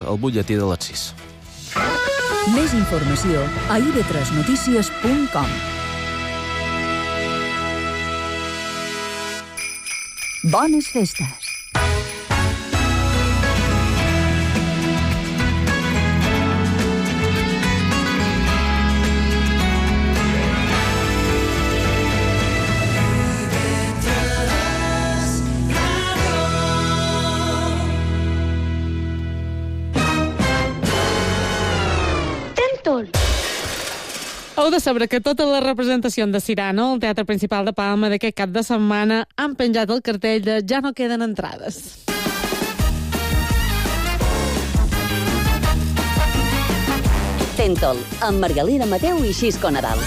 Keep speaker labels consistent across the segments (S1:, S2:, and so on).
S1: el butlletí de les 6.
S2: Més informació a ib3notícies.com. Bones festes!
S3: Heu de saber que tota la representació de Cyrano, al Teatre Principal de Palma d'aquest cap de setmana, han penjat el cartell de ja no queden entrades.
S4: Tentol, amb Margalida Mateu i Xisco Nadal.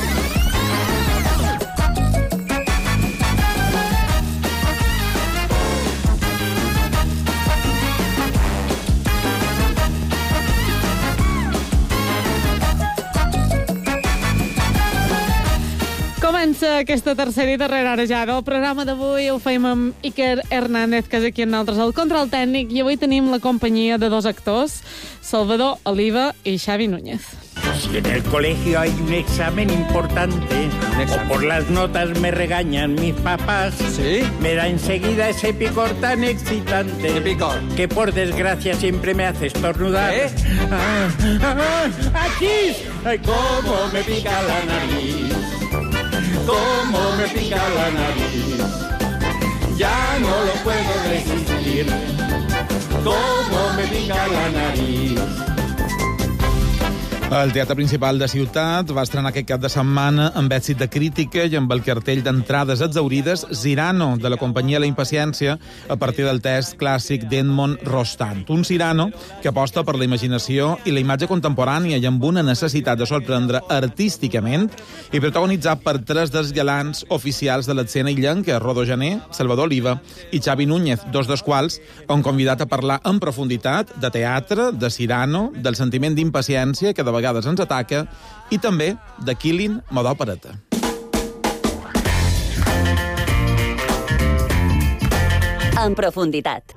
S3: Comença aquesta tercera i darrera hora ja del programa d'avui. Ho feim amb Iker Hernández, que és aquí amb nosaltres al control tècnic, i avui tenim la companyia de dos actors, Salvador Oliva i Xavi Núñez.
S5: Si en el colegio hay un examen importante, o por las notas me regañan mis papás,
S1: ¿Sí?
S5: me da enseguida ese picor tan excitante.
S1: ¿Qué picor?
S5: Que por desgracia siempre me hace estornudar.
S1: ¿Eh?
S5: ¡Aquí! ¡Ay, cómo me pica la nariz! ¡Cómo me pica la nariz! Ya no lo puedo resistir. ¡Cómo me pica la nariz!
S6: El Teatre Principal de Ciutat va estrenar aquest cap de setmana amb èxit de crítica i amb el cartell d'entrades exhaurides Cyrano, de la companyia La Impaciència, a partir del text clàssic d'Edmond Rostand. Un Cyrano que aposta per la imaginació i la imatge contemporània i amb una necessitat de sorprendre artísticament i protagonitzat per tres dels galants oficials de l'escena illenca, Rodó Jané, Salvador Oliva i Xavi Núñez, dos dels quals han convidat a parlar en profunditat de teatre, de Cyrano, del sentiment d'impaciència que de vegades ens ataca, i també de Killing moda opereta.
S4: En profunditat.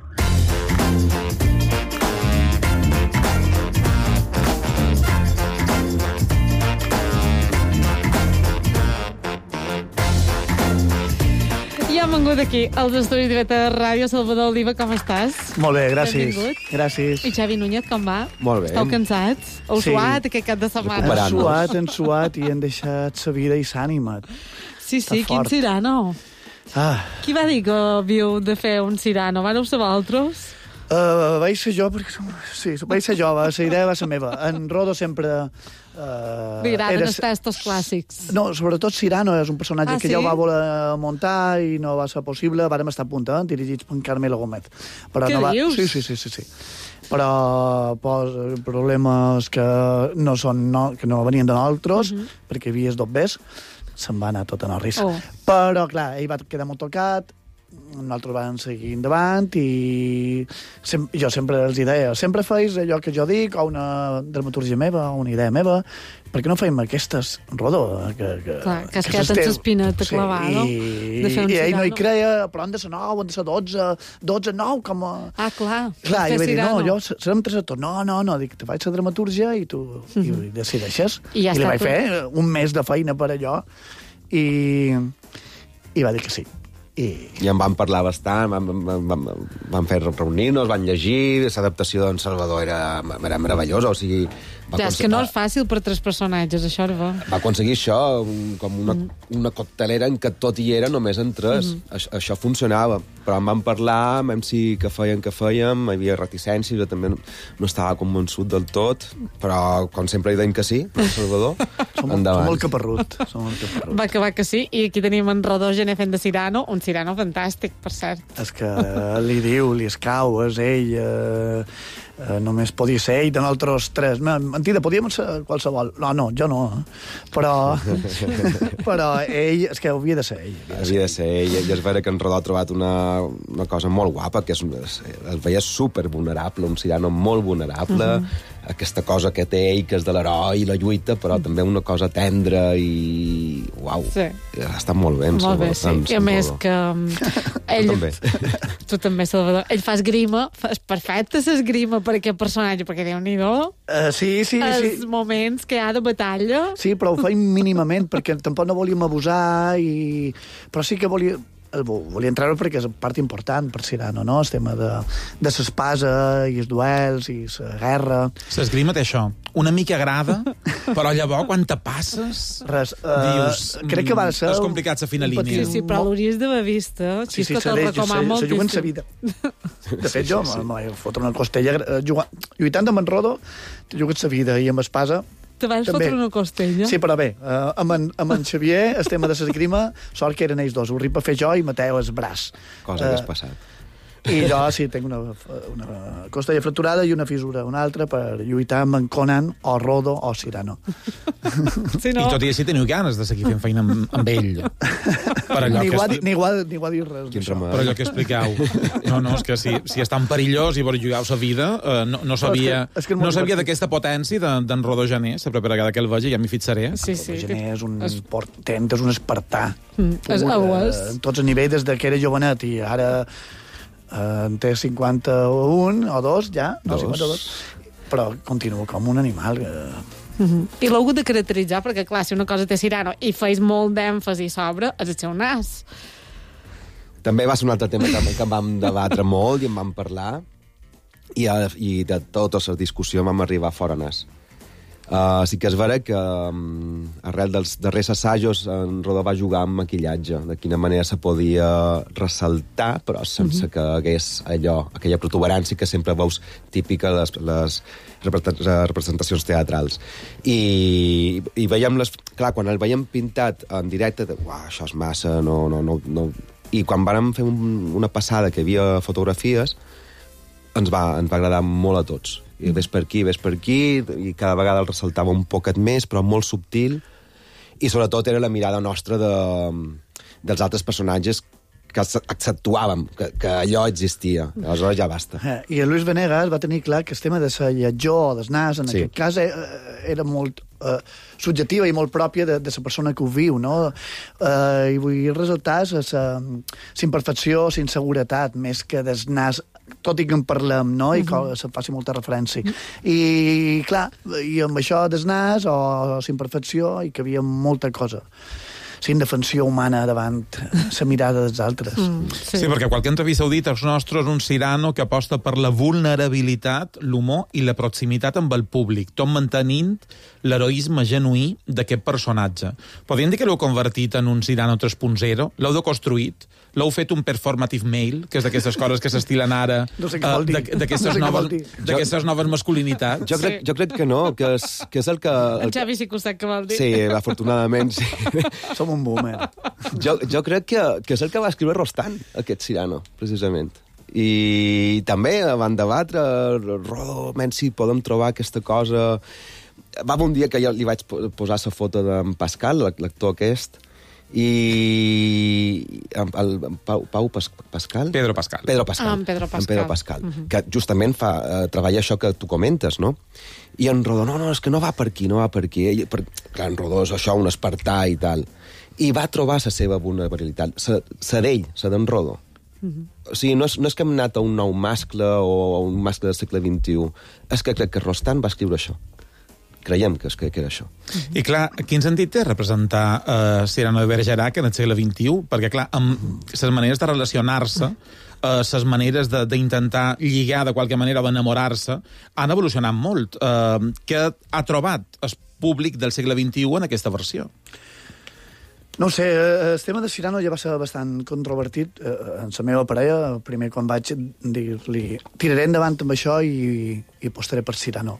S3: I hem vengut aquí, als estudis de Beta Ràdio. Salvador Oliva, com estàs?
S7: Molt bé, gràcies.
S3: Benvingut.
S7: Gràcies.
S3: I Xavi Núñez, com va?
S1: Molt bé.
S3: Esteu cansats? Heu
S7: Sí.
S3: suat aquest cap de setmana?
S1: Recuperant.
S7: Han suat i han deixat sa vida i s'ànima.
S3: Sí,
S7: Està
S3: quin
S7: fort.
S3: Cyrano. Qui va dir que havíeu de fer un Cyrano? Vareu ser vosaltres?
S7: Vaig ser jo, perquè... Sí, vaig ser jo, la idea va ser meva. En Rodo sempre...
S3: Li agraden els textos clàssics.
S7: No, sobretot Cyrano és un personatge que
S3: sí?
S7: ja ho va voler muntar i no va ser possible. Vàrem estar a punt, dirigits per Carmelo Gómez. Però
S3: Què
S7: no va...
S3: dius?
S7: Sí. Però problemes que no venien de nosaltres, perquè hi havia dos bes, se'n va anar tot en el risc.
S3: Oh.
S7: Però, clar, ell va quedar molt tocat, nosaltres vam seguir endavant i jo sempre els deia, sempre feis allò que jo dic, o una dramaturgia meva, o una idea meva, per què no feim aquestes, Rodó?
S3: Clar, que es queda amb l'espineta clavada, no? De fer un
S7: I ell no hi
S3: Cyrano.
S7: creia, però han de ser 9, han de ser 12, 9, com a...
S3: Ah, clar.
S7: Clar, i
S3: fer
S7: vaig dir, no,
S3: Cyrano.
S7: jo serem tres actors. No, dic, te faig la dramaturgia i tu i decideixes.
S3: I ja
S7: li
S3: està
S7: vaig
S3: tot.
S7: fer un mes de feina per allò i va dir que sí.
S1: I en vam parlar bastant, vam fer reunir-nos, van llegir, l'adaptació d'en Salvador era meravellosa, o sigui...
S3: Ja, és que no és fàcil per tres personatges, això era bo.
S1: Va aconseguir això, com una coctelera en què tot hi era, només en tres. Això funcionava. Però en vam parlar, vam dir que fèiem, hi havia reticències, jo també no estava convençut del tot, però com sempre hi deim que sí, el Salvador,
S7: Som
S1: endavant.
S7: molt caparrut.
S3: Va acabar que sí, i aquí tenim en Rodó Gené fent de Cyrano, un Cyrano fantàstic, per cert.
S7: És que li diu, li escau, és ell... només podia ser ell de nosaltres tres. Mentida, podíem ser qualsevol. No, jo no. Però ell, és que havia de ser ell.
S1: Havia de ser ell, i és vera que en Rodó ha trobat una cosa molt guapa, que es veia super vulnerable, un Cyrano molt vulnerable, aquesta cosa que té ell, que és de l'heroi i la lluita, però també una cosa tendra i... Uau,
S3: Sí.
S1: ha estat molt bé.
S3: Molt bé, sí. I a més que ell...
S1: Tu també.
S3: Tu també, Salvador. Ell fa esgrima, és perfecte l'esgrima per aquest personatge, perquè Déu-n'hi-do
S7: Sí.
S3: els moments que hi ha de batalla.
S7: Sí, però ho feim mínimament, perquè tampoc no volíem abusar, però sí que volien treure perquè és part important per Cyrano, no? El tema de l'espasa i els duels i la guerra.
S6: L'esgrima té això. Una mica agrada, però llavors, quan te passes,
S7: Res,
S6: dius...
S7: crec que va ser...
S6: És complicat la fina línia.
S3: Sí, però l'hauries d'haver vist,
S7: Sí,
S3: que te'l recomano moltíssim.
S7: se juguen sa vida. De fet, jo me vaig fotre una costella lluitant amb en Rodo, te jugues sa vida, i amb espasa
S3: Te vas
S7: també.
S3: fotre una costella?
S7: Sí, però bé, amb en Xavier, el tema de l'esgrima, sort que eren ells dos. Ho ripa fer jo i Mateu el braç.
S1: Cosa que has passat.
S7: I jo sí, tinc una costella fracturada i una fissura, una altra per lluitar amb en Conan o Rodo o Cyrano.
S3: Sí, no?
S6: I tot i així teniu ganes de seguir fent feina amb ell. Per allò
S7: Ni ho ha dit res.
S1: Quin
S7: d'això.
S1: remei.
S6: Per allò que expliqueu. No, és que si és tan perillós i vos jugueu sa vida, no sabia,
S7: és que és molt
S6: no sabia
S7: divertit.
S6: d'aquesta potència d'en Rodó Jané, la propera vegada que el vegi ja m'hi fixaré.
S3: Sí, sí.
S7: Gené és un portent, és un espartà.
S3: Ho és.
S7: En tots els nivells, des de que era jovenet i ara en té 51 o 2 ja, no, 52, però continua com un animal.
S3: I l'heu hagut de caracteritzar, perquè clar, si una cosa té Cyrano i feis molt d'èmfasi sobre, és el seu nas.
S1: També va ser un altre tema que en vam debatre molt i en vam parlar, i de tota la discussió vam arribar fora nas. Sí que és vera que arrel dels darrers assajos en Rodó va jugar amb maquillatge, de quina manera se podia ressaltar, però sense que hagués aquella protuberància que sempre veus típica a les representacions teatrals. I veiem clar, quan el veiem pintat en directe, això és massa, no. I quan vàrem fer una passada que hi havia fotografies, ens va agradar molt a tots. I ves per aquí, i cada vegada el ressaltava un poquet més, però molt subtil, i sobretot era la mirada nostra dels altres personatges que accentuàvem, que allò existia. Aleshores ja basta.
S7: I el Luis Venegas va tenir clar que el tema de la lletjor o del nas, en aquest cas, era molt subjectiva i molt pròpia de la persona que ho viu, no? I vull ressaltar la imperfecció, la inseguretat, més que del nas, tot i que en parlem, no? I que se faci molta referència. I, clar, i amb això del nas o la imperfecció hi cabia molta cosa. La indefensió humana davant la mirada dels altres.
S6: Sí, perquè qualque entrevista heu dit, els nostres un Cyrano que aposta per la vulnerabilitat, l'humor i la proximitat amb el públic, tot mantenint l'heroisme genuí d'aquest personatge. Podríem dir que l'heu convertit en un Cyrano 3.0? L'heu deconstruït? L'heu fet un performative male, que és d'aquestes coses que s'estilen ara,
S7: no sé què vol dir.
S6: d'aquestes noves masculinitats?
S1: Jo crec que no, que és el que...
S3: En Xavi sí que ho sap que vol dir.
S1: Sí, afortunadament, sí.
S7: Som un boomer.
S1: Jo crec que és el que va escriure Rostand, aquest Cyrano, precisament. I també van debatre, Rodó, si podem trobar aquesta cosa... Va un dia que jo li vaig posar la foto d'en Pascal, l'actor aquest, i Pascal?
S6: Pedro Pascal.
S3: En Pedro Pascal.
S1: Que justament treballa això que tu comentes, no? I en Rodó, no, és que no va per aquí. Clar, en Rodó és això, un espartà i tal. I va trobar la seva vulnerabilitat, la d'ell, la d'en Rodó. O sigui, no és que hem anat a un nou mascle o a un mascle del segle XXI, és que crec que Rostand va escriure això. Creiem que era això.
S6: I clar, quin sentit té representar Cyrano de Bergerac en el segle XXI? Perquè clar, amb les maneres de relacionar-se, les maneres d'intentar lligar de qualque manera o enamorar-se, han evolucionat molt. Què ha trobat el públic del segle XXI en aquesta versió?
S7: No ho sé, el tema de Cyrano ja va ser bastant controvertit en la meva parella, primer quan vaig dir-li tiraré endavant amb això i apostaré per Cyrano.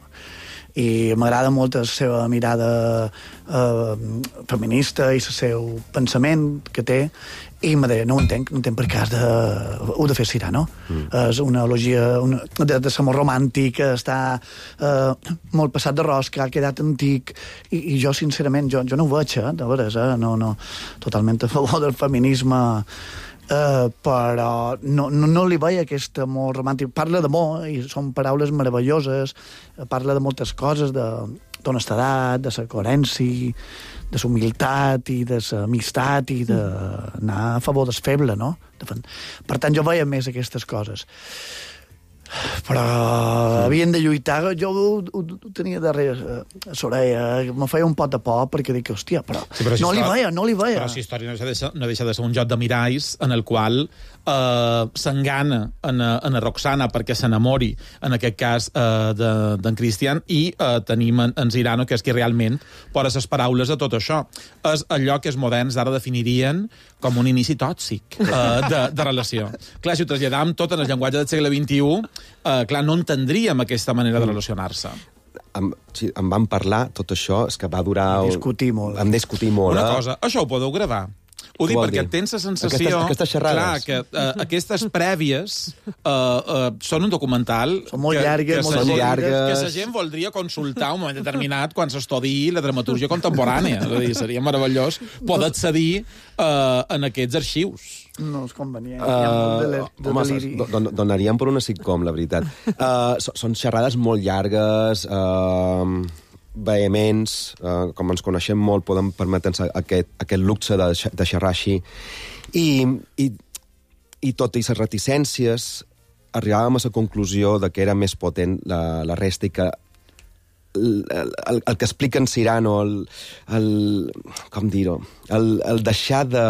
S7: I m'agrada molt la seva mirada feminista i el seu pensament que té, i me deia, no ho entenc per què ho de fer Cyrano. És una elogia de l'amor romàntic, està molt passat de rosca, ha quedat antic, i jo, sincerament, jo no ho veig, de veres, no, totalment a favor del feminisme però no li veia aquest amor romàntic. Parla d'amor, i són paraules meravelloses, parla de moltes coses, d'honestedat, de la coherència, de la humilitat i de la amistat i d'anar a favor del feble, no? Per tant, jo veia més aquestes coses. Però havien de lluitar. Jo ho tenia darrere a l'orella, me feia un pot de por perquè dic, hòstia, però no li veia.
S6: Però si història no deixa de ser un joc de miralls en el qual s'engana en Roxana perquè s'enamori, en aquest cas d'en Cristian, i tenim en Cyrano, que és qui realment posa les paraules a tot això. És allò que els moderns ara definirien com un inici tòxic de relació. Clar, si ho traslladam tot en el llenguatge del segle XXI, clar, no entendríem aquesta manera de relacionar-se.
S1: Em van parlar, tot això, és que va durar...
S7: Vam discutir molt.
S6: Una cosa, això ho podeu gravar? Ho dic perquè tens la sensació...
S1: Aquestes xerrades.
S6: Clar, que aquestes prèvies són un documental...
S7: Són molt llargues, molt llargues.
S6: Que la gent voldria consultar un moment determinat quan s'estudii la dramatúrgia contemporània. És a dir, seria meravellós poder accedir en aquests arxius.
S7: No és convenient. Home,
S1: donaríem per una sitcom, la veritat. Són xerrades molt llargues, vehements, com ens coneixem molt, podem permetre'ns aquest luxe de xerrar així. I tot i les reticències, arribàvem a la conclusió de que era més potent la resta i que el que explica en Cyrano, com dir-ho, el deixar de...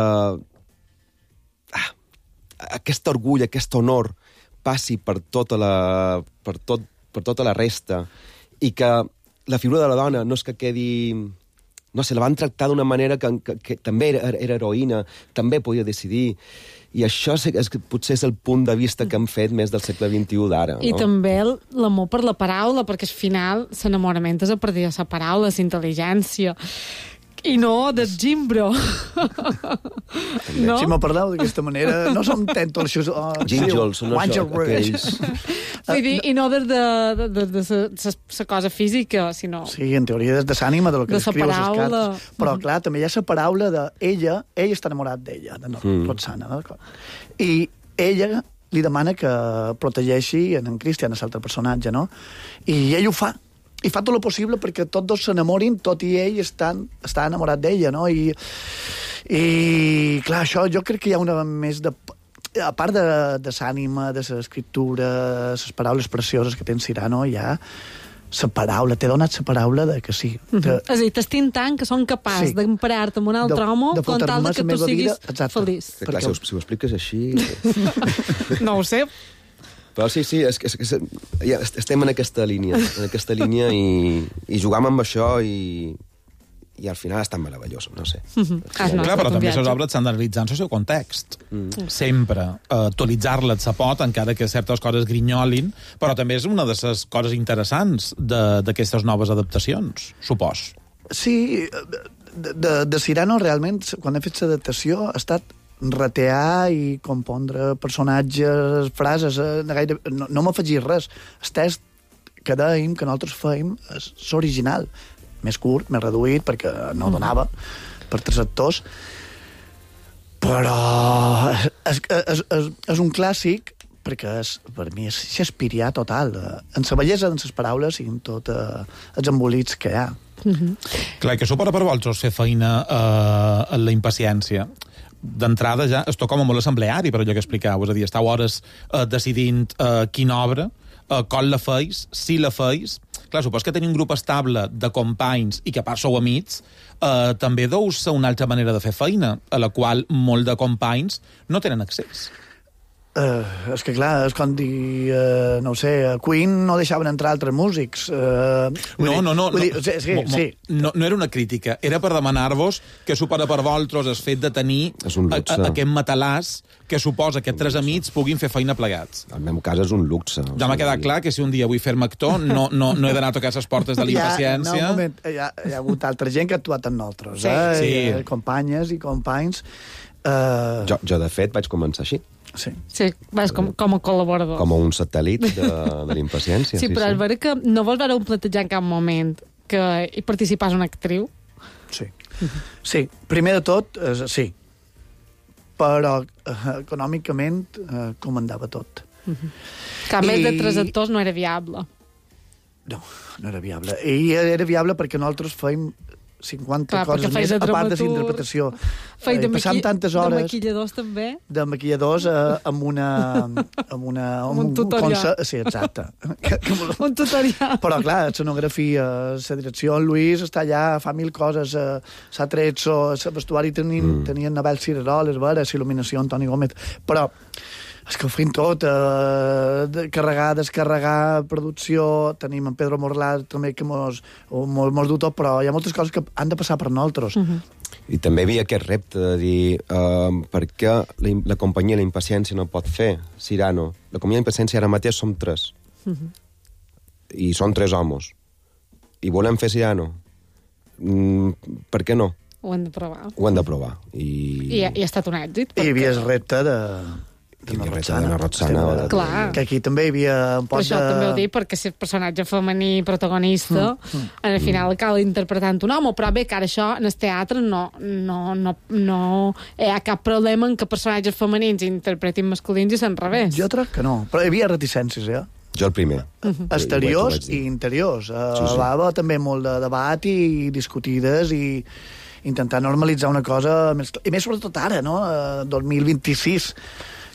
S1: aquest orgull, aquest honor passi per tota la resta, i que la figura de la dona no és que quedi... No sé, la van tractar d'una manera que també era heroïna, també podia decidir, i això potser és el punt de vista que hem fet més del segle XXI d'ara.
S3: I també l'amor per la paraula, perquè al final l'enamorament és a partir de la paraula, la intel·ligència, i no del gimbro.
S7: No? Si me parleu d'aquesta manera, no som tentos...
S1: Gínjols, són aquells...
S3: I no des de la cosa física, sinó...
S7: Sí, en teoria des de l'ànima, de lo que escriu a les cartes. Però, clar, també hi ha la paraula d'ella, ell està enamorat d'ella, de Roxana, d'acord? I ella li demana que protegeixi en Cristian, l'altre personatge, no? I ell ho fa. I fa tot el possible perquè tots dos s'enamorin, tot i ell està enamorat d'ella, no? I clar, això jo crec que hi ha una més de... A part de l'ànima, de l'escriptura, les paraules precioses que té en Cyrano, hi ha la paraula, t'he donat la paraula de que sí.
S3: És a dir, t'estim tant que són capaç d'emprar-te amb un altre home con tal de que tu siguis feliç.
S1: Clar, si ho expliques així...
S3: No ho sé.
S1: Però sí, estem en aquesta línia, i jugam amb això i al final és tan meravellós, no sé.
S6: Clar, però també les obres s'han d'analitzar en el seu context. Sempre actualitzar-la se pot, encara que certes coses grinyolin, però també és una de les coses interessants d'aquestes noves adaptacions, supos.
S7: Sí, de Cyrano realment, quan he fet l'adaptació, ha estat ratear i compondre personatges, frases, no m'afegir res. El text que dèiem, que nosaltres fèiem, és original, més curt, més reduït, perquè no donava per 3 actors, però és un clàssic perquè per mi és Shakespeareà total, en la bellesa de les paraules i en tots els embolics que hi ha.
S6: Clar, que suposa per vosaltres fer feina en la impaciència. D'entrada ja es toca com molt assembleari, per allò que explicau, és a dir, estàu hores decidint quina obra, com la feis, si la feis. Clar, supos que tenir un grup estable de companys i que a part sou amics, també deu ser una altra manera de fer feina, a la qual molt de companys no tenen accés.
S7: És que clar, és com dir, no ho sé, a Queen no deixaven entrar altres músics.
S6: No era una crítica, era per demanar-vos que supera per vosaltres el fet de tenir aquest matalàs que suposa que 3 amics puguin fer feina plegats.
S1: En el meu cas és un luxe.
S6: Ja m'ha quedat clar que si un dia vull fer-me actor no he d'anar a tocar les portes de l'impaciència.
S7: Hi ha hagut altra gent que ha actuat amb nosaltres, companyes i companys.
S1: Jo, de fet, vaig començar així.
S3: Sí, vas com a col·laborador.
S1: Com un satèl·lit de l'impaciència.
S3: Sí, però és vera que no vols veure un plantejar en cap moment que hi participàs una actriu?
S7: Sí. Sí, primer de tot, sí. però econòmicament comandava tot.
S3: Que a més de 3 actors no era viable.
S7: No, no era viable. I era viable perquè nosaltres fèiem 50 coses més, a part de l'interpretació. Passàvem tantes hores...
S3: De maquilladors, també?
S7: De maquilladors amb un
S3: tutorial.
S7: Sí, exacte.
S3: Un tutorial.
S7: Però, clar, l'escenografia, la direcció, en Lluís està allà, fa 1000 coses, s'ha tret, el vestuari tenien Nabel Cireroles, il·luminació, Antoni Gómez, però és que ho fem tot, carregar, descarregar, producció, tenim en Pedro Morlà també que mos du tot, però hi ha moltes coses que han de passar per nosaltres.
S1: I també hi havia aquest repte de dir per què la companyia La Impaciència no pot fer Cyrano. La companyia La Impaciència ara mateix som 3. I són 3 homes. I volem fer Cyrano. Per què no?
S3: Ho hem de provar.
S1: Ho hem de provar. I
S3: ha estat un èxit.
S7: I hi havia el repte de
S1: Roxana.
S3: Clar.
S7: Que aquí també hi havia un poc
S3: per això també ho dic, perquè si el personatge femení protagonista, al final cal interpretant un home, però bé, que ara això en el teatre no hi ha cap problema en que personatges femenins interpretin masculins i s'en revés.
S7: Jo crec que no, però hi havia reticències,
S1: Jo el primer.
S7: Exteriors i interiors. Va haver també molt de debat i discutides i intentar normalitzar una cosa més... I més sobretot ara, no? 2026,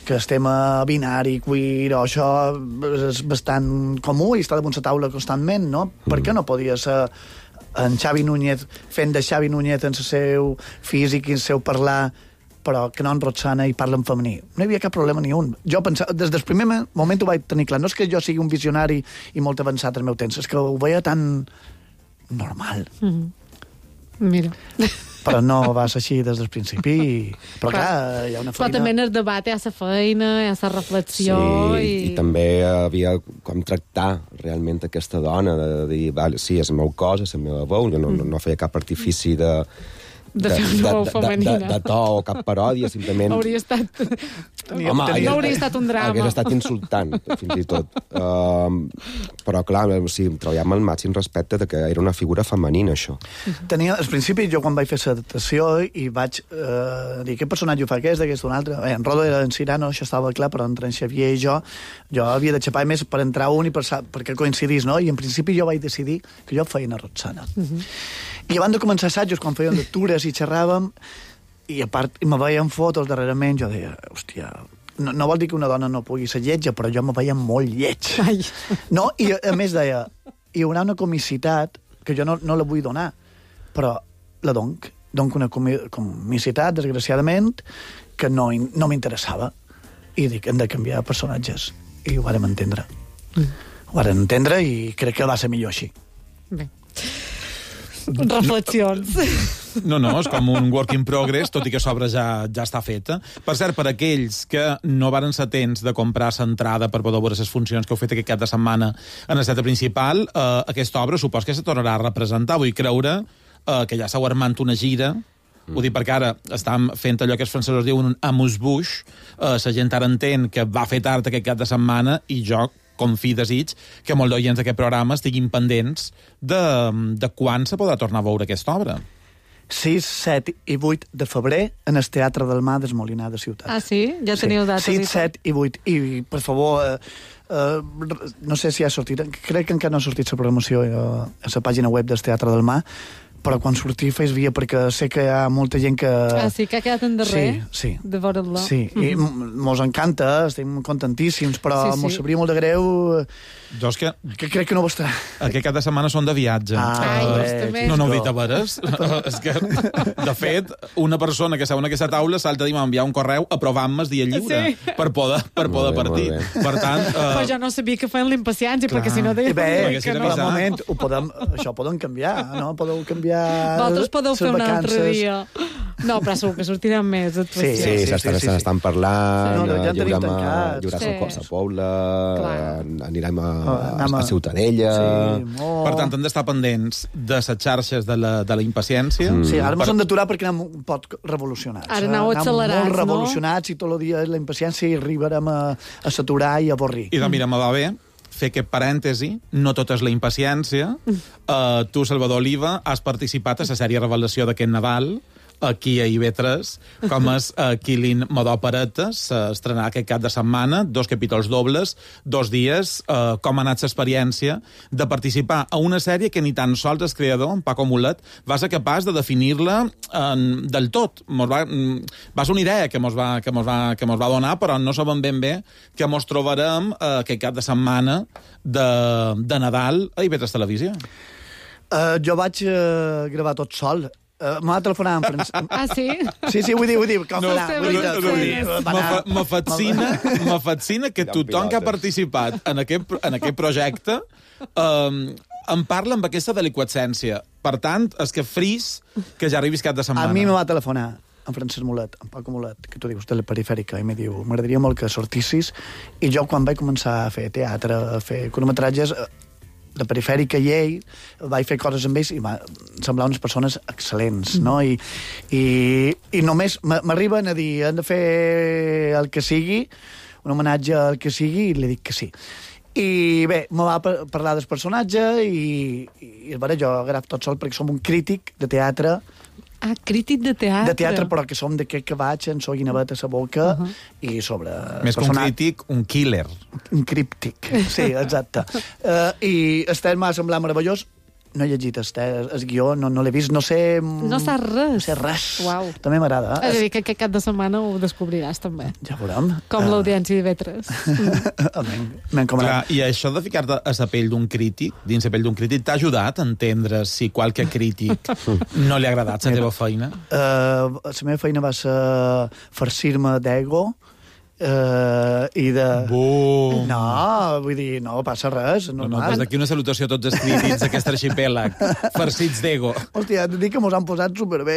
S7: que estem a binari, queer, o això és bastant comú i està damunt la taula constantment, no? Per què no podia ser en Xavi Núñez fent de Xavi Núñez en el seu físic i el seu parlar, però que no en Roxana i parla en femení? No hi havia cap problema ni un. Jo pensava, des del primer moment ho vaig tenir clar. No és que jo sigui un visionari i molt avançat al meu temps, és que ho veia tan normal.
S3: Mira.
S7: Però no va ser així des del principi. Però clar, hi ha una feina...
S3: Però també en el debat hi ha la feina, hi ha la reflexió...
S1: Sí, i també havia com tractar realment aquesta dona, de dir, vale, sí, és el meu cos, és la meva veu, jo no feia cap artifici de
S3: fer una veu femenina.
S1: De to o cap paròdia, simplement...
S3: Hauria estat...
S1: Home,
S3: no hauria estat un drama.
S1: Hauria estat insultant, fins i tot. Però, clar, sí, treballàvem al màxim respecte de que era una figura femenina, això.
S7: Al principi, jo quan vaig fer l'adaptació i vaig dir què personatge ho fa aquest, un altre... En Rodo era en Cyrano, això estava clar, però entre en Xavier i jo havia de xapar més per entrar un i perquè coincidís, no? I en principi jo vaig decidir que jo feia una Roxana. I abans de començar assajos, quan fèiem lectures i xerràvem, i a part me veien fotos darrerament, jo deia, hòstia, no vol dir que una dona no pugui ser lletja, però jo me veia molt lleig.
S3: Ai.
S7: No? I a més deia, hi haurà una comicitat que jo no la vull donar, però la donc una comicitat, desgraciadament, que no m'interessava. I dic, hem de canviar personatges. I ho vàrem entendre. Ho vàrem entendre i crec que va ser millor així.
S3: Bé. Reflexions.
S6: No, és com un work in progress, tot i que l'obra ja està feta. Per cert, per aquells que no varen ser temps de comprar l'entrada per poder veure les funcions que heu fet aquest cap de setmana en el teatre principal, aquesta obra supos que se tornarà a representar. Vull creure que ja s'heu armant una gira. Ho dic perquè ara estem fent allò que els francesos diuen un amuse-bouche. La gent ara entén que va fer tard aquest cap de setmana i jo confi desig que molts d'oients d'aquest programa estiguin pendents de quan se podrà tornar a veure aquesta obra.
S7: 6, 7 i 8 de febrer en el Teatre del Mar del Molinar de Ciutat.
S3: Ah, sí? Ja teniu dates?
S7: 6, 7 i 8. I, per favor, no sé si ha sortit, crec que encara no ha sortit la programació a la pàgina web del Teatre del Mar, però quan sortir fes via, perquè sé que hi ha molta gent que...
S3: Ah, sí, que ha quedat en darrer?
S7: Sí.
S3: De veure-la.
S7: Sí, i mos encanta, estem contentíssims, però mos sabria molt de greu...
S6: Jo és que
S7: crec que no ho estarà.
S6: Aquest cap de setmana són de viatge. No ho he dit a veres. És que, de fet, una persona que seu en aquesta taula salta a enviar un correu aprovant-me el dia lliure per poder partir. Per tant...
S3: Però jo no sabia que feien l'impaciència, perquè si no deia...
S7: Bé, que no. Moment, això ho podem canviar, no? Podeu canviar...
S3: Vosaltres podeu fer un altre dia. No, però segur que sortiran més actuacions.
S1: Sí, s'estan parlant,
S7: ja
S1: hi haurà la Pobla, anirem a Ciutadella...
S6: Per tant, hem d'estar pendents de les xarxes de la impaciència.
S7: Sí, ara ens hem d'aturar perquè anem un poc revolucionats.
S3: Ara aneu accelerats,
S7: molt revolucionats i tot el dia la impaciència i arribarem a saturar i a avorrir.
S6: I doncs mira, me va bé fer aquest parèntesi, no tot és la impaciència. Tu, Salvador Oliva, has participat a la sèrie Revelació d'aquest Nadal, aquí a IB3, com és Killing Modo Opereta. S'estrenarà aquest cap de setmana, 2 capítols dobles, 2 dies. Com ha anat l'experiència de participar a una sèrie que ni tan sols el creador, en Paco Mulet, va ser capaç de definir-la del tot. Va ser una idea que mos va donar, però no sabem ben bé que mos trobarem aquest cap de setmana de Nadal a IB3 Televisió.
S7: Jo vaig gravar tot sol. M'ha telefonat en francès.
S3: Ah, sí?
S7: Sí, vull dir, com
S3: No,
S6: me fascina que tothom que ha participat en aquest projecte em parla amb aquesta deliquescència. Per tant, és que fris que ja arribis cap de setmana.
S7: A mi me va telefonar en Francesc Mulet, en Paco Mulet, que tu dius de la perifèrica, i me diu, m'agradaria molt que sortissis, i jo quan vaig començar a fer teatre, a fer curtmetratges, de perifèrica i ell, vaig fer coses amb ells i em semblaven unes persones excel·lents, no? I només m'arriben a dir, hem de fer el que sigui, un homenatge al que sigui, i li dic que sí. I bé, me va parlar del personatge i jo agraf tot sol perquè som un crític de teatre.
S3: Ah, crític de teatre.
S7: De teatre, però que som d'aquest que vaig amb so guinevet a sa boca i sobre...
S6: Més que un crític, un killer.
S7: Un críptic, sí, exacte. I el text m'ha semblat meravellós. No he llegit el guió, no l'he vist, no sé...
S3: No saps res.
S7: No sé res.
S3: Uau.
S7: També m'agrada.
S3: És a dir, que aquest cap de setmana ho descobriràs, també.
S7: Ja veurem.
S3: Com l'audiència d'IV3.
S7: M'he encomanat.
S6: I això de ficar-te a la pell d'un crític, dins la pell d'un crític, t'ha ajudat a entendre si qualque crític no li ha agradat la teva feina?
S7: La meva feina va ser farcir-me d'ego, i de...
S6: Bum!
S7: No, vull dir, no passa res.
S6: No, des d'aquí una salutació a tots els crítics d'aquest arxipèlag, farcits d'ego.
S7: Hòstia, et dic que mos han posat superbé.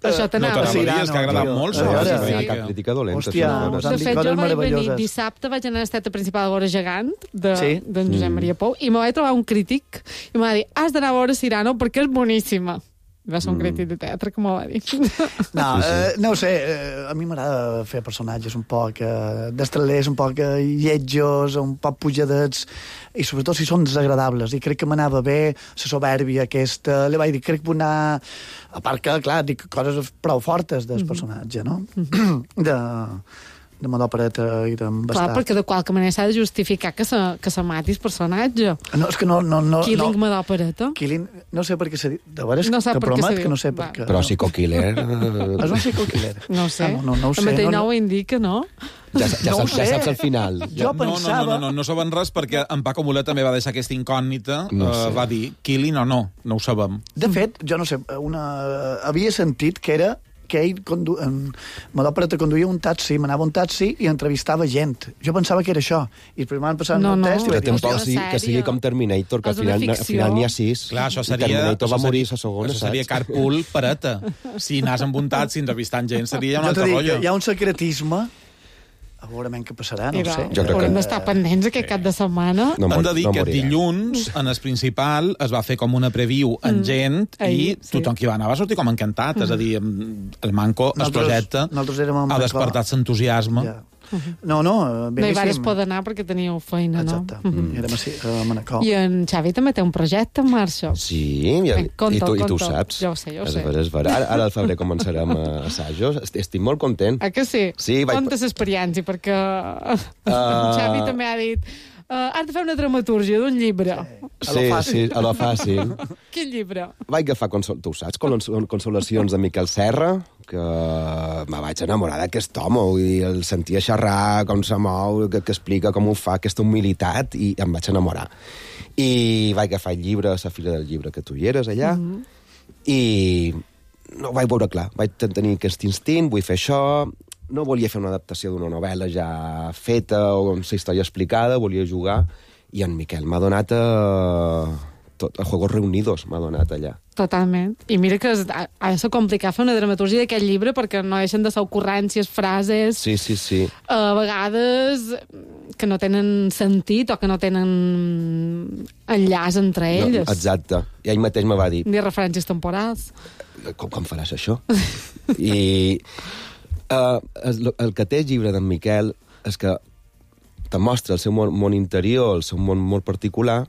S3: Això t'anava
S6: a dir, és que ha agradat molt.
S1: No hi ha cap crítica dolenta.
S7: Hòstia,
S3: de fet, jo vaig venir dissabte, vaig anar a l'esteta principal a veure Gegant, d'en Josep Maria Pou, i me vaig trobar un crític, i me va dir, has d'anar a veure Cyrano perquè és boníssima. Va ser un crític de teatre, com ho va dir.
S7: No, no ho sé, a mi m'agrada fer personatges un poc destralers, un poc lletjos, un poc pujadets, i sobretot si són desagradables, i crec que m'anava bé la soberbia aquesta, li vaig dir, crec que vull anar, a part que, clar, dic coses prou fortes del personatge, no? De modo opereta i d'embastar.
S3: Clar, perquè de qualque manera s'ha de justificar que se mati el personatge.
S7: No, és que no...
S3: Killing modo opereta.
S7: Killing, no sé per què s'ha dit. De veres,
S3: no te
S7: promet que no sé per què.
S1: Però psico-killer...
S7: És un psico-killer.
S3: No ho sé.
S7: No ho sé.
S3: El mateix nou indica, no?
S1: Ja saps al final.
S7: Jo pensava...
S6: No saben res perquè en Paco Mulet també va deixar aquesta incògnita. Va dir, Killing o no ho sabem.
S7: De fet, jo no sé, havia sentit que era que ell en Modo-Opereta conduïa un taxi, m'anava un taxi i entrevistava gent. Jo pensava que era això. I primer van passar un test i
S1: vaig dir... Que sigui com Terminator, que al final n'hi ha 6.
S6: Clar, això seria...
S1: Terminator va morir a la segona,
S6: saps? Això seria carpool pereta. Si anàs amb un taxi entrevistant gent, seria un altre rotllo.
S7: Hi ha un secretisme. A veure què passarà, no ho sé.
S3: Haurem d'estar pendents aquest cap de setmana.
S6: Hem de dir que dilluns, en el principal, es va fer com una preview en gent i tothom que hi va anar va sortir com encantat. És a dir, el Manco, el projecte, ha despertat l'entusiasme.
S7: No,
S3: bé. No hi vares poder anar perquè teníeu feina, no?
S7: Exacte. Érem a Manacor.
S3: I en Xavi també té un projecte en marxa.
S1: Sí, i tu ho saps.
S3: Jo ho sé.
S1: Ara al febrer començarem assajos. Estic molt content.
S3: Ah, que sí? Conta l'experiència, perquè Xavi també ha dit... has de fer una dramatúrgia d'un llibre.
S1: Sí, a lo fàcil.
S3: Quin llibre?
S1: Vaig agafar, tu ho saps, Consolacions de Miquel Serra, que me vaig enamorar d'aquest home, i el sentia xerrar, com se mou, que explica com ho fa, aquesta humilitat, i em vaig enamorar. I vaig agafar el llibre a la fira del llibre que tu hi eres allà, i no ho vaig veure clar. Vaig tenir aquest instint, vull fer això... No volia fer una adaptació d'una novel·la ja feta o amb la història explicada, volia jugar, i en Miquel m'ha donat a Juegos Reunidos, m'ha donat allà.
S3: Totalment. I mira que ha de ser complicat fer una dramatúrgia d'aquest llibre perquè no deixen de ser ocurrències, frases...
S1: Sí.
S3: A vegades que no tenen sentit o que no tenen enllaç entre elles.
S1: No, exacte. I ell mateix me va dir...
S3: Ni referències temporals.
S1: Com faràs això? I... el que té el llibre d'en Miquel és que te mostra el seu món interior, el seu món molt particular,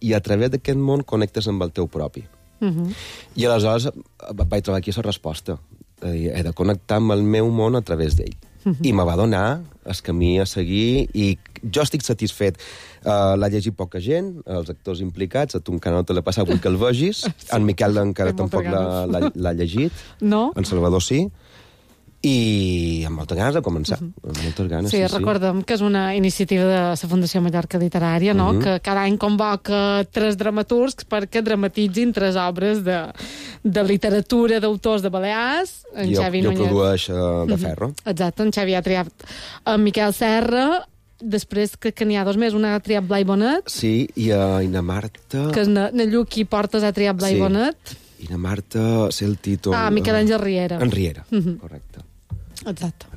S1: i a través d'aquest món connectes amb el teu propi. I aleshores vaig trobar aquí la resposta. he de connectar amb el meu món a través d'ell. I me va donar el camí a seguir i jo estic satisfet. L'ha llegit poca gent, els actors implicats, a tu encara no te l'ha passat, vull que el vegis. En Miquel encara tampoc l'ha llegit.
S3: No?
S1: En Salvador sí. I amb moltes ganes de començar. Amb moltes ganes,
S3: sí. Recordem que és una iniciativa de la Fundació Mallorca Literària, no? Que cada any convoca 3 dramaturgs perquè dramatitzin 3 obres de literatura d'autors de Balears. En Xavi
S1: jo
S3: Núñez
S1: produeix de Ferro.
S3: Exacte, en Xavi ha triat en Miquel Serra, després crec que n'hi ha 2 més, una ha triat Blai Bonet.
S1: Sí, i na Marta...
S3: Que na Lluc i Portes ha triat Blai Bonet.
S1: I na Marta, sé el títol...
S3: Miquel Àngel Riera.
S1: En Riera, correcte.
S3: Exacte.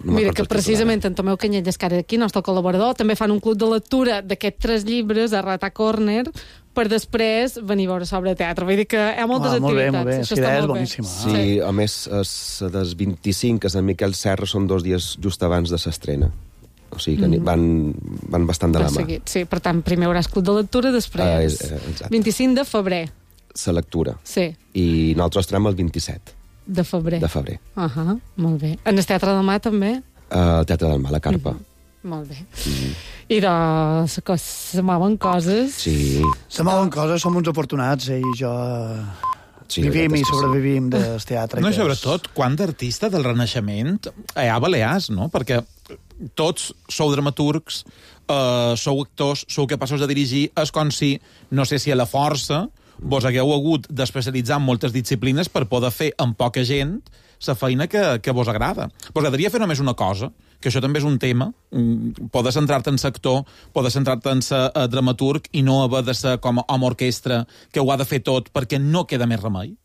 S1: No
S3: mira, que precisament en Tomeu Canyelles, que ara aquí, nostre col·laborador, també fan un club de lectura d'aquests 3 llibres a Rata Corner per després venir a veure sobre teatre. Vull dir que hi ha moltes activitats.
S7: Molt bé, la idea és boníssima.
S1: Sí, a més, des 25, que és en Miquel Serra, són 2 dies just abans de l'estrena. O sigui que van bastant de la mà.
S3: Sí, per tant, primer hauràs club de lectura, després 25 de febrer.
S1: La lectura.
S3: Sí.
S1: I nosaltres estarem el 27.
S3: De febrer.
S1: De febrer.
S3: Molt bé. En el Teatre del Mar, també?
S1: El Teatre del Mar, la Carpa.
S3: Molt bé. I se mouen coses.
S1: Sí.
S7: Se mouen coses, som uns afortunats, i jo... vivim i sobrevivim del teatre.
S6: No, i sobretot, quant d'artista del Renaixement hi ha a Balears, no? Perquè tots sou dramaturgs, sou actors, sou capaços de dirigir, és com si, no sé si a la força, vos hagueu hagut d'especialitzar en moltes disciplines per poder fer amb poca gent la feina que vos agrada. Vos agradaria fer només una cosa, que això també és un tema, poder centrar-te en sector, poder centrar-te en ser dramaturg i no haver de ser com a home orquestra que ho ha de fer tot perquè no queda més remei?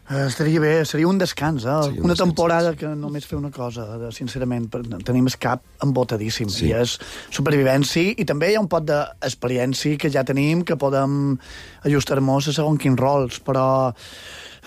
S7: Estaria bé, seria un descans, una temporada que només fer una cosa, sincerament, tenim el cap embotadíssim, i és supervivència, i també hi ha un pot d'experiència que ja tenim, que podem ajustar-nos a segons quins rols, però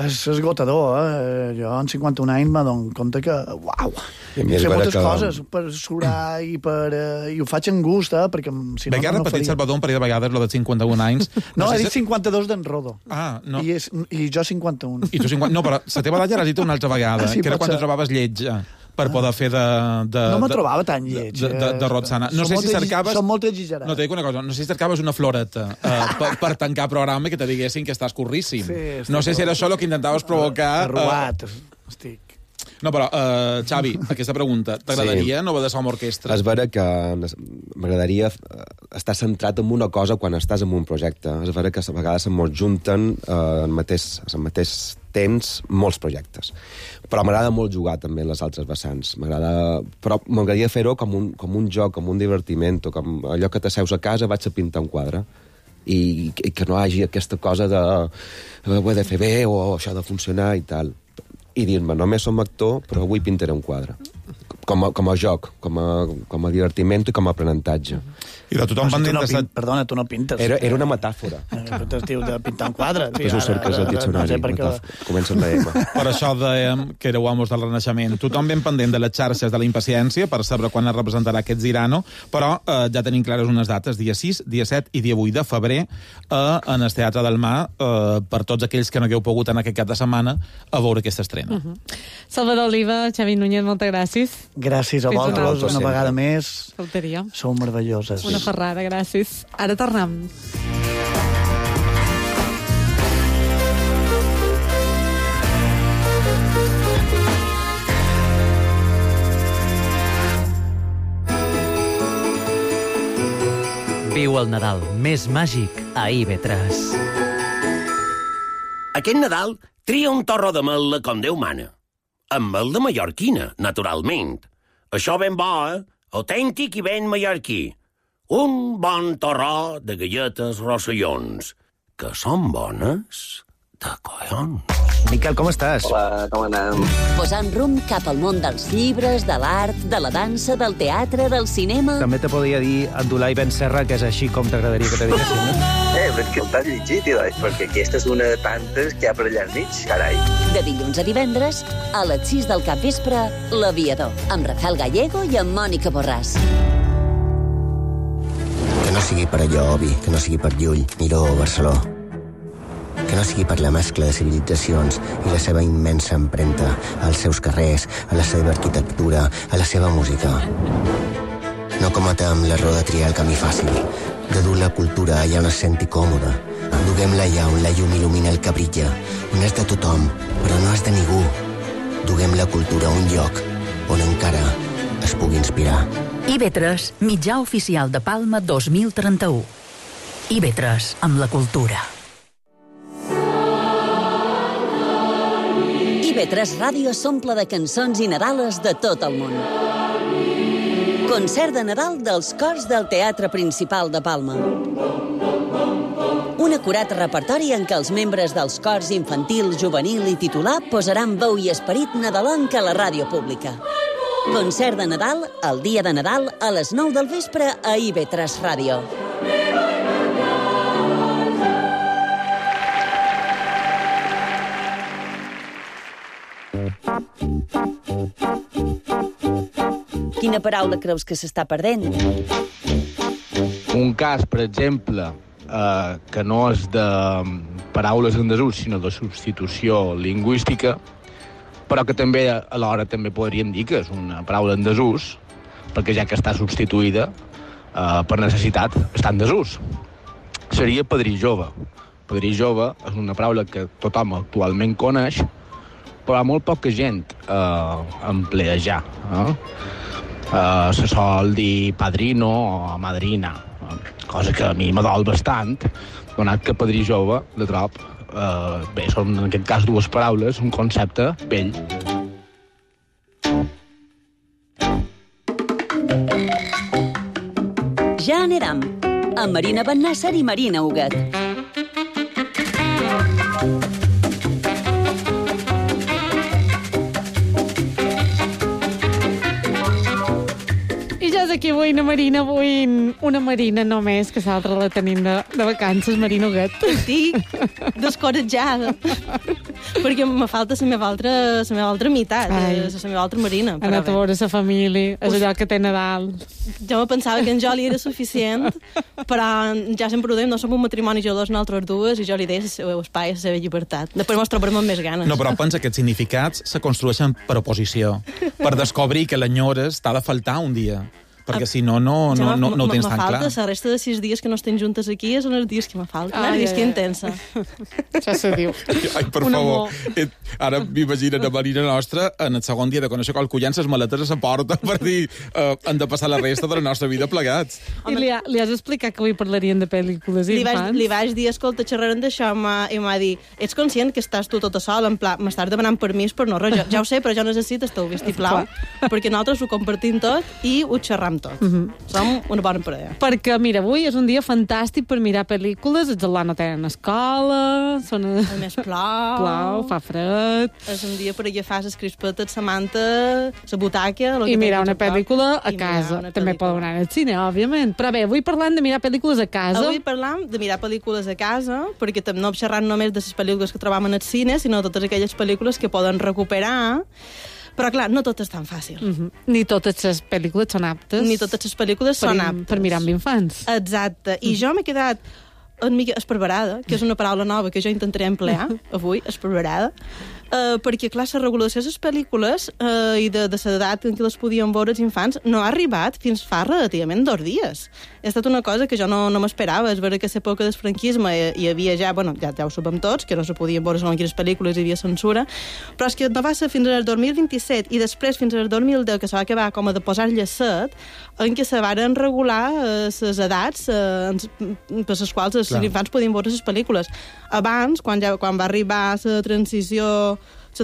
S7: és esgotador, Jo, en 51 anys, m'adono compte que, uau, fer moltes coses per surar i ho faig amb gust, perquè si no,
S6: no faria. Repetit, Salvador, un parell de vegades, lo de 51 anys.
S7: No, he dit 52 d'en Rodo.
S6: No.
S7: I jo 51.
S6: I tu 50... No, però la teva edat ja l'has dit una altra vegada, que era quan te trobaves lleig per poder fer
S7: no me trobava tan lleig.
S6: De Rotzana. No sé si cercaves...
S7: Són molt exagerats.
S6: No, t'he dit una cosa, no sé si cercaves una floreta per tancar programa i que te diguessin que estàs curríssim. No sé si era això el que intentaves provocar...
S7: Arrugat, estic.
S6: No, però, Xavi, aquesta pregunta, t'agradaria no haver de ser amb orquestra?
S1: És vera que m'agradaria estar centrat en una cosa quan estàs en un projecte. És vera que a vegades se'm junten al mateix temps molts projectes. Però m'agrada molt jugar també en les altres vessants. Però m'agradaria fer-ho com un joc, com un divertiment, com allò que t'asseus a casa, vaig a pintar un quadre. I que no hi hagi aquesta cosa de ho he de fer bé o això ha de funcionar i tal. I dir-me, només som actor, però avui pintaré un quadre. Com a joc, com a divertiment i com a aprenentatge.
S6: I de tothom pendent de...
S7: Perdona, tu no pintes.
S1: Era una metàfora.
S7: Es diu de pintar un quadre.
S1: Després ho cerques al diccionari. Comença amb la M.
S6: Per això dèiem que éreu amos del Renaixement. Tothom ben pendent de les xarxes de la impaciència per saber quan es representarà aquest Zirano, però ja tenim clares unes dates, dia 6, dia 7 i dia 8 de febrer en el Teatre del Mar, per tots aquells que no hagueu pogut en aquest cap de setmana a veure aquesta estrena.
S3: Salvador Oliva, Xavi Núñez, moltes gràcies.
S7: Gràcies a vosaltres, una vegada més.
S3: Faltaria.
S7: Sou meravelloses.
S3: Una ferrada, gràcies. Ara tornem.
S8: Viu el Nadal més màgic a IB3.
S9: Aquest Nadal tria un torró de mel com Déu mana. Amb mel de mallorquina, naturalment. Això ben bo, autèntic i ben mallorquí. Un bon torró de galletes rossellons, que són bones de collons.
S8: Miquel, com estàs?
S10: Hola, com anem?
S4: Posant rumb cap al món dels llibres, de l'art, de la dansa, del teatre, del cinema...
S8: També te podria dir Abdulai Ben Serra, que és així com t'agradaria que te diguessin, no?
S10: Però és que el t'has llegit, perquè aquesta és una de tantes que hi ha per allà nits, carai.
S4: De dilluns a divendres, a les 6 del capvespre, L'Aviador, amb Rafael Gallego i amb Mònica Borràs.
S11: Que no sigui per allò, Obi, que no sigui per Llull, Miró o Barceló. que no sigui per la mescla de civilitzacions i la seva immensa empremta als seus carrers, a la seva arquitectura, a la seva música. No cometem l'error de triar el camí fàcil, de dur la cultura allà on es senti còmode. Duguem-la allà on la llum il·lumina el que brilla, on és de tothom, però no és de ningú. Duguem la cultura a un lloc on encara es pugui inspirar.
S2: IB3, mitjà oficial de Palma 2031. IB3, amb la cultura.
S4: IB3 Ràdio s'omple de cançons i Nadales de tot el món. Concert de Nadal dels cors del Teatre Principal de Palma. Un acurat repertori en què els membres dels cors infantil, juvenil i titular posaran veu i esperit nadalenc a la ràdio pública. Concert de Nadal, el dia de Nadal, a les 9 del vespre a IB3 Ràdio. Quina paraula creus que s'està perdent?
S12: Un cas, per exemple, que no és de paraules en desús, sinó de substitució lingüística, però que també alhora també podríem dir que és una paraula en desús, perquè ja que està substituïda per necessitat, està en desús. Seria padrí jove. Padrí jove és una paraula que tothom actualment coneix, però molt poca gent emplea ja. Se sol dir padrino o madrina, cosa que a mi m'adol bastant, donat que padrí jove, de trob, bé, són en aquest cas dues paraules, un concepte vell.
S4: Ja anirem, amb Marina Bennàsser i Marina Huguet.
S3: Aquí avui una Marina només, que l'altra la tenim de vacances, Marina Huguet.
S13: Estic descoratjada, perquè me falta la meva altra meitat, la meva altra Marina.
S3: Ha anat a veure la família, és allò que té Nadal.
S13: Jo me pensava que en Joli era suficient, però ja sempre ho dèiem, no som un matrimoni jo dos, nosaltres dues, i jo li deia el seu espai, la seva llibertat. Després mos trobarem amb més ganes.
S6: No, però pensa que aquests significats se construeixen per oposició, per descobrir que l'enyores t'ha de faltar un dia. Perquè si no ho tens tan clar.
S13: La resta de 6 dies que no estem juntes aquí són els dies que me falten. Els dies que intensa.
S3: Ja se diu.
S6: Ai, per favor. Ara m'imagino la Marina nostra en el segon dia de conèixer qualcú llença les maletes a la porta per dir han de passar la resta de la nostra vida plegats.
S3: I li has explicat que avui parlarien de pel·lícules infants?
S13: Li vaig dir, escolta, xerrarem d'això, i m'ha dit, ets conscient que estàs tu tota sola, en pla, m'estàs demanant permís per no res. Ja ho sé, però jo necessito el teu vistiplau, perquè nosaltres ho compartim tot i ho xerram tot. Som una bona parella.
S3: Perquè, mira, avui és un dia fantàstic per mirar pel·lícules, els alumnes no tenen escola,
S13: a més plou,
S3: fa fred.
S13: És un dia per agafar les crispetes, la manta, la butaca...
S3: I mirar una pel·lícula a casa. També poden anar al cine, òbviament. Però bé, avui parlant de mirar pel·lícules a casa...
S13: Avui parlam de mirar pel·lícules a casa, perquè no xerrant només de les pel·lícules que trobam en el cine, sinó totes aquelles pel·lícules que poden recuperar. Però, clar, no tot és tan fàcil.
S3: Ni totes les pel·lícules són aptes.
S13: Ni totes les pel·lícules són aptes.
S3: Per mirar amb infants.
S13: Exacte. I jo m'he quedat una mica esparverada, que és una paraula nova que jo intentaré emplear avui, esparverada, perquè, clar, la regulació de les pel·lícules i de l'edat en què les podien veure els infants no ha arribat fins fa relativament 2 dies. Ha estat una cosa que jo no m'esperava. És vera que a l'època del franquisme hi havia ja ho sabem tots, que no se podien veure segons quines pel·lícules, hi havia censura, però és que no va ser fins al 2027 i després fins al 2010, que se va acabar com a de posar llacet, en què se varen regular les edats per les quals els infants podien veure les pel·lícules. Abans, quan va arribar la transició, sí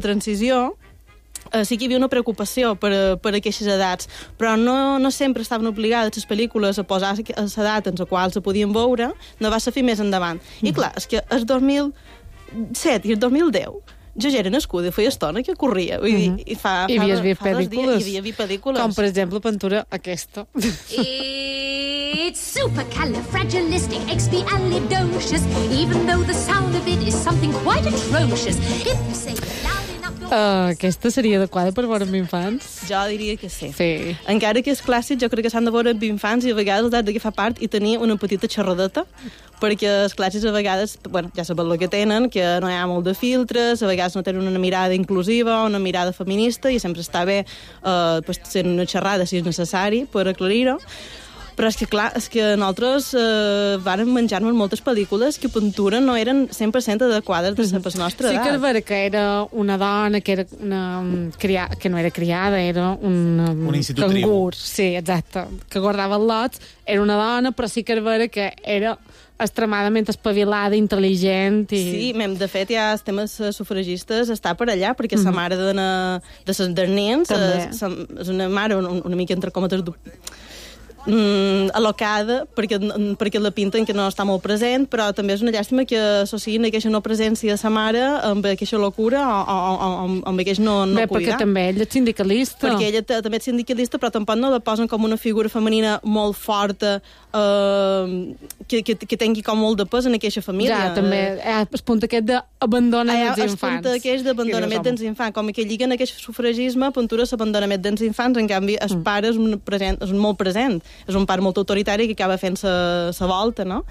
S13: que hi havia una preocupació per aquestes edats, però no sempre estaven obligades les pel·lícules a posar l'edat en la qual se podien veure, no va ser fer més endavant. I clar, és que el 2007 i el 2010 jo ja era nascuda, feia estona que corria. Vull dir,
S3: I havies vist pel·lícules.
S13: Hi havia vist pel·lícules.
S3: Com, per exemple, Pintura, aquesta.
S14: It's supercalifragilisticexpialidocious, even though the sound of it is something quite atrocious. If you say it loud enough,
S3: Aquesta seria adequada per veure amb infants?
S13: Jo diria que sí.
S3: Sí.
S13: Encara que és clàssic, jo crec que s'han de veure amb infants i a vegades has d'agafar part i tenir una petita xerradeta, perquè els clàssics a vegades, bueno, ja saben el que tenen, que no hi ha molt de filtres, a vegades no tenen una mirada inclusiva, una mirada feminista, i sempre està bé ser una xerrada, si és necessari, per aclarir-ho. Però és que, clar, és que nosaltres vàrem menjar-nos moltes pel·lícules que pintura no eren 100% adequades de la nostra edat.
S3: Sí que és vera que era una dona, que era que no era criada, era un cangur. Sí, exacte, que guardava els lots. Era una dona, però sí que és vera que era extremadament espavilada, intel·ligent i...
S13: Sí, de fet, ja els temes sufragistes està per allà, perquè la mare de les nens és una mare una mica entre cometes al·locada, perquè la pinten que no està molt present, però també és una llàstima que associïn aquesta no presència de sa mare amb aquesta locura o amb aquest no cuidar.
S3: Perquè també ella és sindicalista.
S13: Perquè ella també és sindicalista, però tampoc no la posen com una figura femenina molt forta, que tingui com molt de pes en aquesta família.
S3: Ja, també el punt aquest d'abandonament dels infants.
S13: El punt aquest d'abandonament dels infants. Com que lliguen aquest sufragisme, pintura l'abandonament dels infants, en canvi el pare és molt present. És un pare molt autoritari que acaba fent sa volta, no?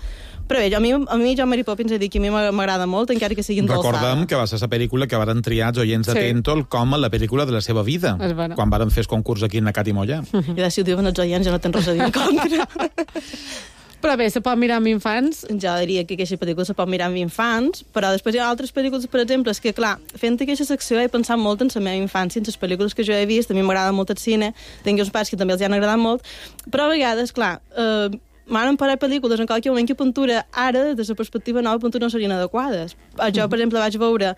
S13: Però bé, a mi John Mary Poppins he dit que a mi m'agrada molt, encara que sigui endolçada.
S6: Recordem que va ser la pel·lícula que varen triar els oients de Tentol com a la pel·lícula de la seva vida, quan varen fer el concurs aquí en Nacat i Molla.
S13: I si ho diuen els oients ja no tens res a dir en contra.
S3: Però bé, se pot mirar amb infants?
S13: Jo diria que aquesta pel·lícula se pot mirar amb infants, però després hi ha altres pel·lícules, per exemple, és que, clar, fent aquesta secció he pensat molt en la meva infància, en les pel·lícules que jo he vist, a mi m'agrada molt el cine, tinc uns pares que també els han agradat molt, però a vegades, clar, m'han parat pel·lícules en qualsevol moment que pintura ara, des de la perspectiva nova, pintura no serien adequades. Jo, per exemple, vaig veure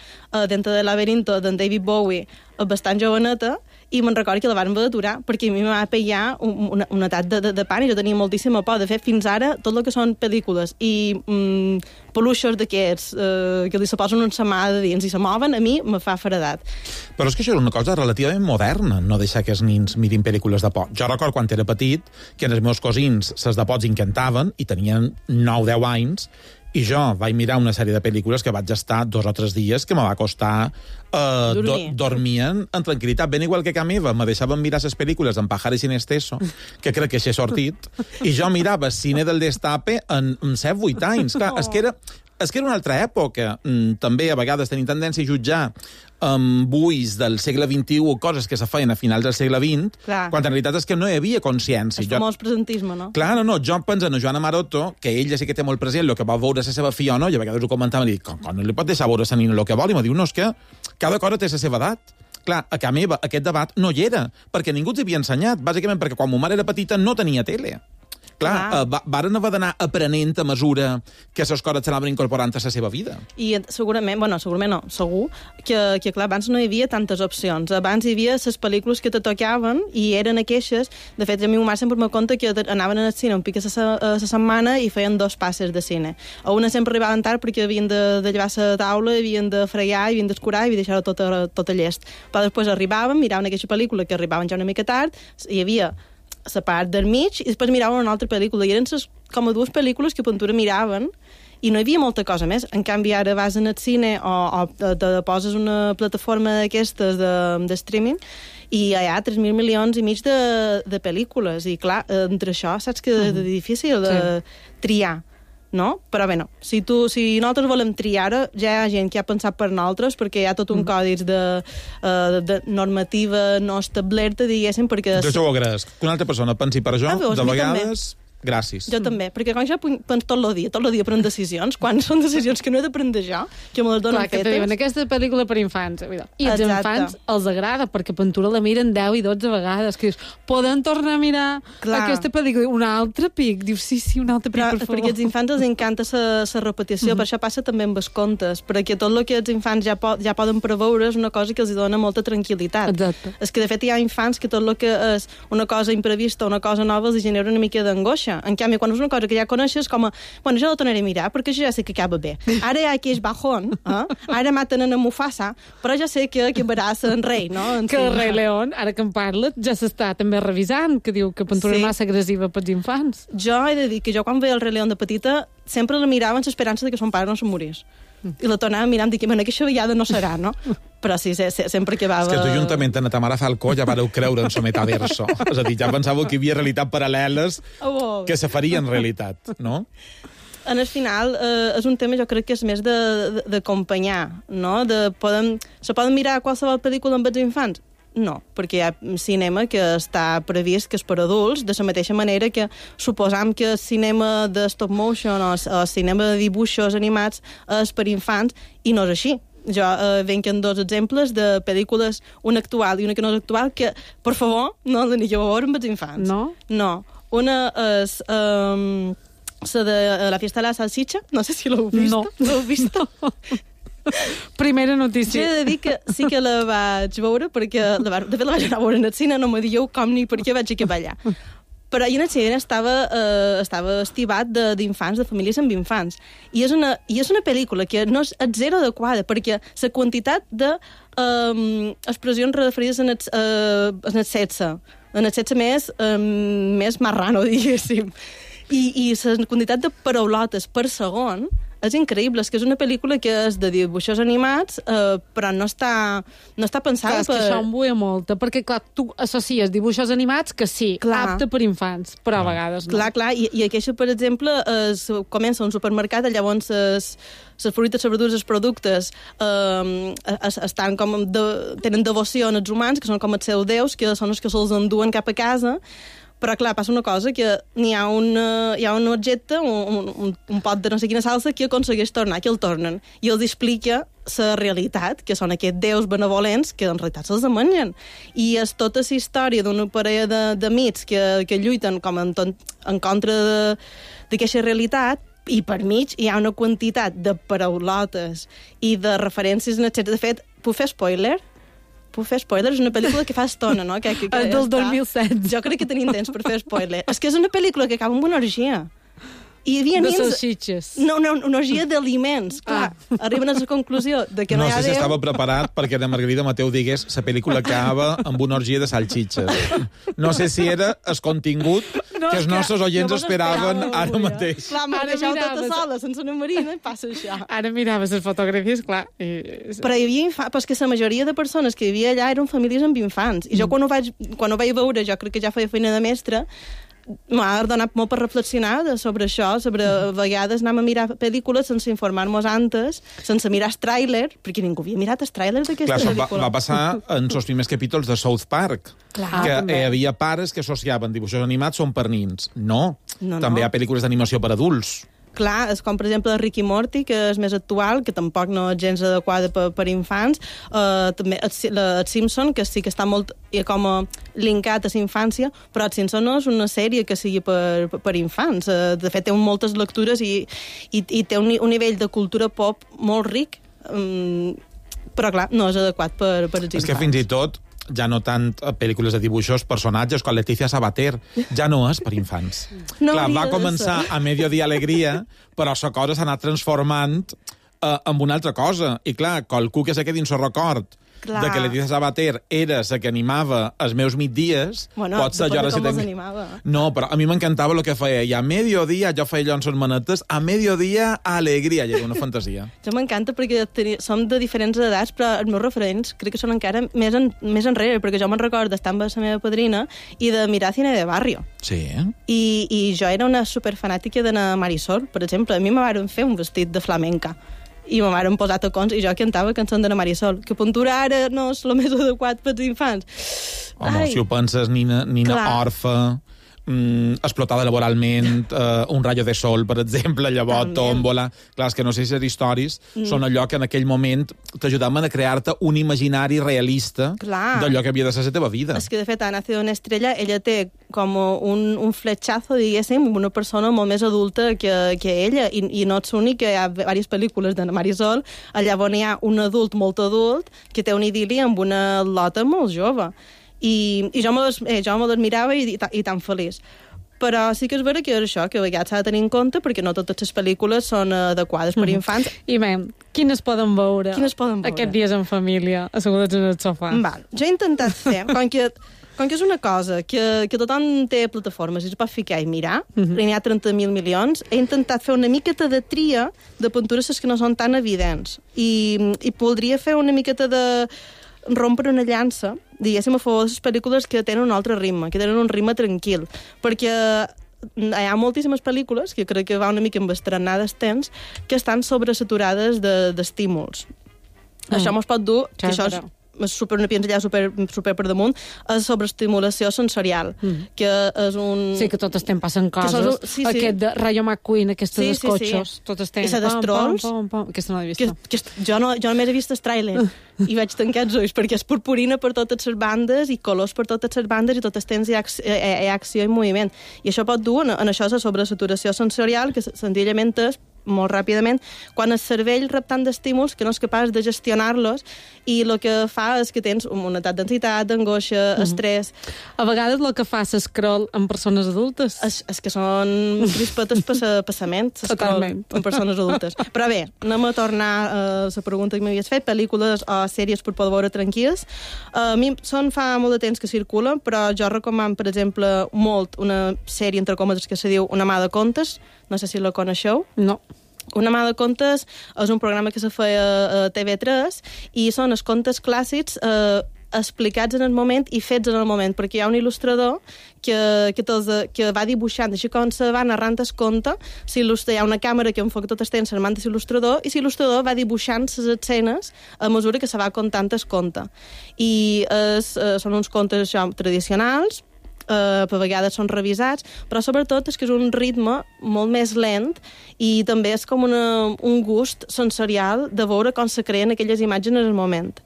S13: Dentro del laberinto d'en David Bowie bastant joveneta, i me'n recordo que la van haver d'aturar, perquè a mi m'ha pegat un atac de pànic. Jo tenia moltíssima por. De fet, fins ara, tot el que són pel·lícules i peluixos d'aquests que li se posen una mà de dins i se moven, a mi me fa feredat.
S6: Però és que això era una cosa relativament moderna, no deixar que els nins mirin pel·lícules de por. Jo recordo quan era petit que els meus cosins ses de pots encantaven i tenien 9-10 anys, i jo vaig mirar una sèrie de pel·lícules que vaig estar 2 o 3 dies que me va costar dormien en tranquil·litat, ben igual que a meva me deixaven mirar les pel·lícules en Pajares sin Exceso, que crec que s'ha sortit, i jo mirava cine del Destape en 7-8 anys. Clar, és que era una altra època. També a vegades tenim tendència a jutjar amb ulls del segle XXI o coses que se feien a finals del segle XX, quan en realitat és que no hi havia consciència.
S13: El famós presentisme, no?
S6: Clar, no. Jo penso en Joana Maroto, que ella sí que té molt present el que va veure la seva filla o no, i a vegades ho comentava i dic, com no li pot deixar veure la nina el que vol? I em diu, no, és que cada cosa té la seva edat. Clar, a casa meva aquest debat no hi era, perquè ningú els havia ensenyat, bàsicament perquè quan ma mare era petita no tenia tele. Clar, varen haver d'anar aprenent a mesura que les coses s'anaven incorporant a la seva vida.
S13: I segurament no, segur, que clar, abans no hi havia tantes opcions. Abans hi havia les pel·lícules que te tocaven i eren aqueixes. De fet, a mi mare sempre me conta que anaven al cine un pic a la setmana i feien 2 passes de cine. A una sempre arribaven tard perquè havien de llevar la taula, havien de fregar, havien d'escurar i havien de deixar-ho tot a llest. Però després arribaven, miraven aquesta pel·lícula que arribaven ja una mica tard, hi havia la part del mig, i després miraven una altra pel·lícula, i eren com a 2 pel·lícules que pintura miraven, i no hi havia molta cosa més. En canvi, ara vas al cine o te poses una plataforma d'aquestes de streaming i hi ha 3.000 milions i mig de pel·lícules, i clar, entre això saps que és difícil de triar, no? Però bé, no. Si nosaltres volem triar, ja hi ha gent que ha pensat per nosaltres, perquè hi ha tot un còdex de normativa no establerta, diguéssim, perquè...
S6: Jo ho agraeix. Que una altra persona pensi per jo, de vegades... Gràcies.
S13: Jo també, perquè quan jo penso tot el dia prenc decisions, quan són decisions que no he de prendre jo, que me les donen fetes...
S3: Clar, que te diuen, aquesta pel·lícula per infants. I els infants els agrada, perquè pintura la miren 10 i 12 vegades, que dius, poden tornar a mirar aquesta pel·lícula? Un altre pic? Dius, sí, un altre pic, per favor.
S13: Perquè als infants els encanta la repetició, per això passa també amb els contes, perquè tot el que els infants ja poden preveure és una cosa que els dona molta tranquil·litat.
S3: Exacte.
S13: És que, de fet, hi ha infants que tot el que és una cosa imprevista, una cosa nova, els genera una mica d'angoixa. En canvi, quan és una cosa que ja coneixes, com a, bueno, jo la tornaré a mirar, perquè jo ja sé que acaba bé. Ara hi ha aquell bajón, ara maten a Mufasa, però ja sé que acabarà en rei, no?
S3: Que el rei León, ara que en parla, ja s'està també revisant, que diu que pintura massa agressiva pels infants.
S13: Jo he de dir que jo quan veia el rei León de petita sempre la mirava amb l'esperança de que son pare no se'n morís. I la tornava mirant i que, bueno, aquesta vegada no serà, no? Però sí, sempre acabava...
S6: És que tu juntament amb ta mare Falcó ja vareu creure en el metaverso. És a dir, ja pensàveu que hi havia realitats paral·leles que se farien realitat, no?
S13: En el final, és un tema, jo crec que és més d'acompanyar, no? Se poden mirar qualsevol pel·lícula amb els infants? No, perquè hi ha cinema que està previst que és per adults, de la mateixa manera que suposam que el cinema de stop motion o el cinema de dibuixos animats és per infants, i no és així. Jo venc en 2 exemples de pel·lícules, una actual i una que no és actual, que, per favor, no l'anigueu a veure amb els infants.
S3: No?
S13: No. Una és... la de la fiesta de la salchicha, no sé si l'heu vist.
S3: No.
S13: L'heu vist?
S3: Primera notícia.
S13: Jo he de dir que sí que la vaig veure, perquè de fet la vaig anar a veure en el cine, no me dieu com ni per què vaig acabar allà. Però ahir en el cine estava estivat d'infants, de famílies amb infants. I és una pel·lícula que no és zero adequada, perquè la quantitat d'expressions referides en el sexe més marrano, diguéssim, i la quantitat de paraulotes per segon és increïble. És que és una pel·lícula que és de dibuixos animats, però no està pensada
S3: per... És que això em buia molt, perquè, clar, tu associes dibuixos animats que sí, apte per infants, però a vegades no.
S13: Clar, i aquesta, per exemple, comença un supermercat, llavors les fruites, les verdures, els productes estan com tenen devoció als humans, que són com els seus déus, que són els que se'ls enduen cap a casa. Però, clar, passa una cosa, que hi ha un objecte, un pot de no sé quina salsa, que aconsegueix tornar, que el tornen. I els explica la realitat, que són aquests déus benevolents, que en realitat se'ls mengen. I és tota la història d'una parella d'amics que lluiten com en contra d'aquesta realitat, i per mig hi ha una quantitat de paraulotes i de referències, etc. De fet, puc fer spoiler? És una pel·lícula que fa estona, no? Que
S3: del 2007.
S13: Jo crec que tenim temps per fer spoiler. És que és una pel·lícula que acaba amb una orgia. I hi havia
S3: de salsitxes.
S13: No, una orgia d'aliments. Clar, arriben a la conclusió de que no hi ha
S6: Déu. No sé si
S13: Déu.
S6: estava preparat perquè la Margarida Mateu digués la pel·lícula acaba amb una orgia de salsitxes. No sé si era el contingut que els nostres oients esperaven ara mateix.
S13: Clar, m'ho deixeu tota sola, sense una marina, i passa això.
S3: Ara miraves les fotografies, clar.
S13: Però hi havia infants, però és que la majoria de persones que hi havia allà eren famílies amb infants. I jo quan ho vaig veure, jo crec que ja feia feina de mestre, m'ha donat molt per reflexionar sobre això, sobre a vegades anem a mirar pel·lícules sense informar-nos antes, sense mirar el tràiler, perquè ningú havia mirat el tràiler d'aquesta pel·lícula.
S6: Va passar en els primers capítols de South Park, que hi havia pares que associaven dibuixos animats són per nins. No. També hi ha pel·lícules d'animació per adults.
S13: Clar, és com, per exemple, Rick i Morty, que és més actual, que tampoc no és gens adequada per infants. També el Simpson, que sí que està molt com linkat a la infància, però el Simpson no és una sèrie que sigui per infants. De fet, té moltes lectures i té un nivell de cultura pop molt ric, però, clar, no és adequat per els infants.
S6: És que fins i tot ja no tant pel·lícules de dibuixos, personatges com Leticia Sabater, ja no és per infants.
S13: No,
S6: clar, va començar a Mediodía Alegria, però la cosa s'ha anat transformant en una altra cosa. I clar, qualcú que se quedi en el record de que Leticia Sabater era la que animava els meus migdies, pot ser jo... No, però a mi m'encantava el que feia. I a Mediodía, jo feia allò en son manetes, a Mediodía Alegria, i era una fantasia.
S13: Jo m'encanta perquè som de diferents edats, però els meus referents crec que són encara més enrere, perquè jo me'n recordo d'estar amb la meva padrina i de mirar cine de barrio.
S6: Sí.
S13: I jo era una superfanàtica d'anar a Marisol, per exemple. A mi me van fer un vestit de flamenca. I me van posar tacons i jo cantava cançons de la Marisol. Que puntura ara no és el més adequat pels infants.
S6: Home, si ho penses, Nina Orfa, explotada laboralment, un rayo de sol, per exemple, llavors Tómbola. Clar, és que no sé si les històries són allò que en aquell moment t'ajudaven a crear-te un imaginari realista d'allò que havia de ser la teva vida.
S13: És que, de fet, a Nacido una estrella, ella té com un fletxazo, diguéssim, una persona molt més adulta que ella, i no és únic, que hi ha diverses pel·lícules de Marisol, allà on hi ha un adult molt adult que té un idili amb una lota molt jove. I jo me les mirava i tan feliç. Però sí que és vera que és això, que a vegades s'ha de tenir en compte, perquè no totes les pel·lícules són adequades per infants.
S3: I bé, quines poden veure
S13: aquests
S3: dies en família, asseguts en el sofà?
S13: Val. Jo he intentat fer, com que Com que és una cosa que tothom té plataformes i es pot ficar i mirar, n'hi ha 30.000 milions, he intentat fer una miqueta de tria de pintures que no són tan evidents. I voldria fer una miqueta de rompre una llança, diguéssim, a favor de les pel·lícules que tenen un altre ritme, que tenen un ritme tranquil, perquè hi ha moltíssimes pel·lícules, que crec que va una mica amb estrenades temps, que estan sobresaturades d'estímuls. Això mos pot dur, que això és una pinzellada super per damunt, és sobreestimulació sensorial, que és un...
S3: Sí, que tot estem passant coses. Aquest de Rayo McQueen, aquestes dels cotxos, tot estem...
S13: I la d'Estrolls.
S3: Aquesta no l'he vist.
S13: Jo només he vist el tràiler i vaig tancar els ulls, perquè és purpurina per totes les bandes i colors per totes les bandes i tot el temps hi ha acció i moviment. I això pot dur, en això és la sobresaturació sensorial, que senzillament és molt ràpidament, quan el cervell rep tant d'estímuls que no és capaç de gestionar-los i el que fa és que tens un atac d'ansietat, d'angoixa, estrès.
S3: A vegades el que fa s'escroll en persones adultes.
S13: És que són crispetes passaments,
S3: totalment,
S13: en persones adultes. Però bé, anem a tornar a la pregunta que m'havies fet, pel·lícules o sèries per poder veure tranquils. A mi fa molt de temps que circulen, però jo recomano, per exemple, molt una sèrie, entre cometes, que se diu Una mà de contes. No sé si la coneixeu.
S3: No.
S13: Una mà de contes és un programa que se feia a TV3 i són els contes clàssics explicats en el moment i fets en el moment, perquè hi ha un il·lustrador que va dibuixant, així com se va narrant el conte, hi ha una càmera que enfoca tot el temps en mans de l'il·lustrador i l'il·lustrador va dibuixant les escenes a mesura que se va contant el conte. I són uns contes tradicionals, per vegades són revisats, però sobretot és que és un ritme molt més lent i també és com un gust sensorial de veure com se creen aquelles imatges en el moment.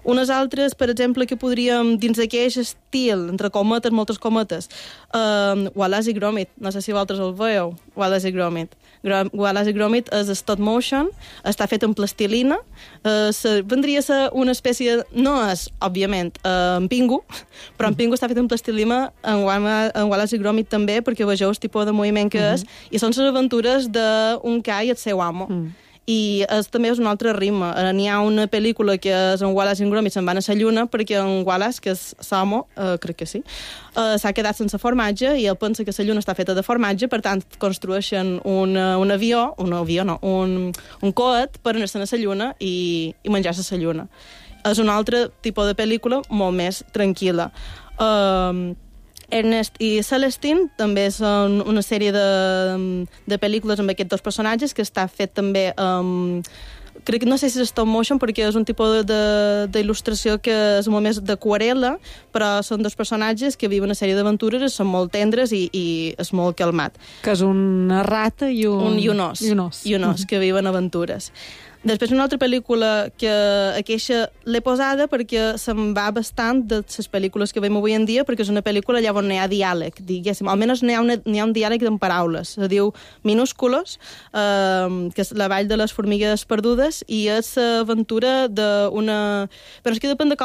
S13: Unes altres, per exemple, que podríem, dins d'aquell estil, entre cometes, moltes cometes, Wallace i Gromit, no sé si vosaltres el veieu, Wallace i Gromit. Wallace i Gromit és stop motion, està fet en plastilina, vendria a ser una espècie, no és, òbviament, en Pingu, però en Pingu està fet en plastilina, en Wallace i Gromit també, perquè vegeu el tipus de moviment que és, i són les aventures d'un ca i el seu amo. I també és un altre ritme. N'hi ha una pel·lícula que és en Wallace i Gromit se'n van a la lluna perquè en Wallace, que és l'amo, crec que sí, s'ha quedat sense formatge i ell pensa que la lluna està feta de formatge, per tant construeixen un coet per anar-se'n a la lluna i menjar-se a la lluna. És un altre tipus de pel·lícula molt més tranquil·la. Ernest i Celestine també són una sèrie de pel·lícules amb aquests dos personatges que està fet també crec que no sé si és stop motion perquè és un tipus d'il·lustració que és molt més d'aquarel·la, però són dos personatges que viuen una sèrie d'aventures, són molt tendres i és molt calmat.
S3: Que és una rata i un
S13: os que viuen aventures. Després una altra pel·lícula que aquesta l'he posada perquè se'n va bastant de les pel·lícules que veiem avui en dia, perquè és una pel·lícula allà on hi ha diàleg, diguéssim. Almenys n'hi ha un diàleg en paraules. Se diu Minúsculos, que és la vall de les formigues perdudes, i és l'aventura d'una... Però és que depèn de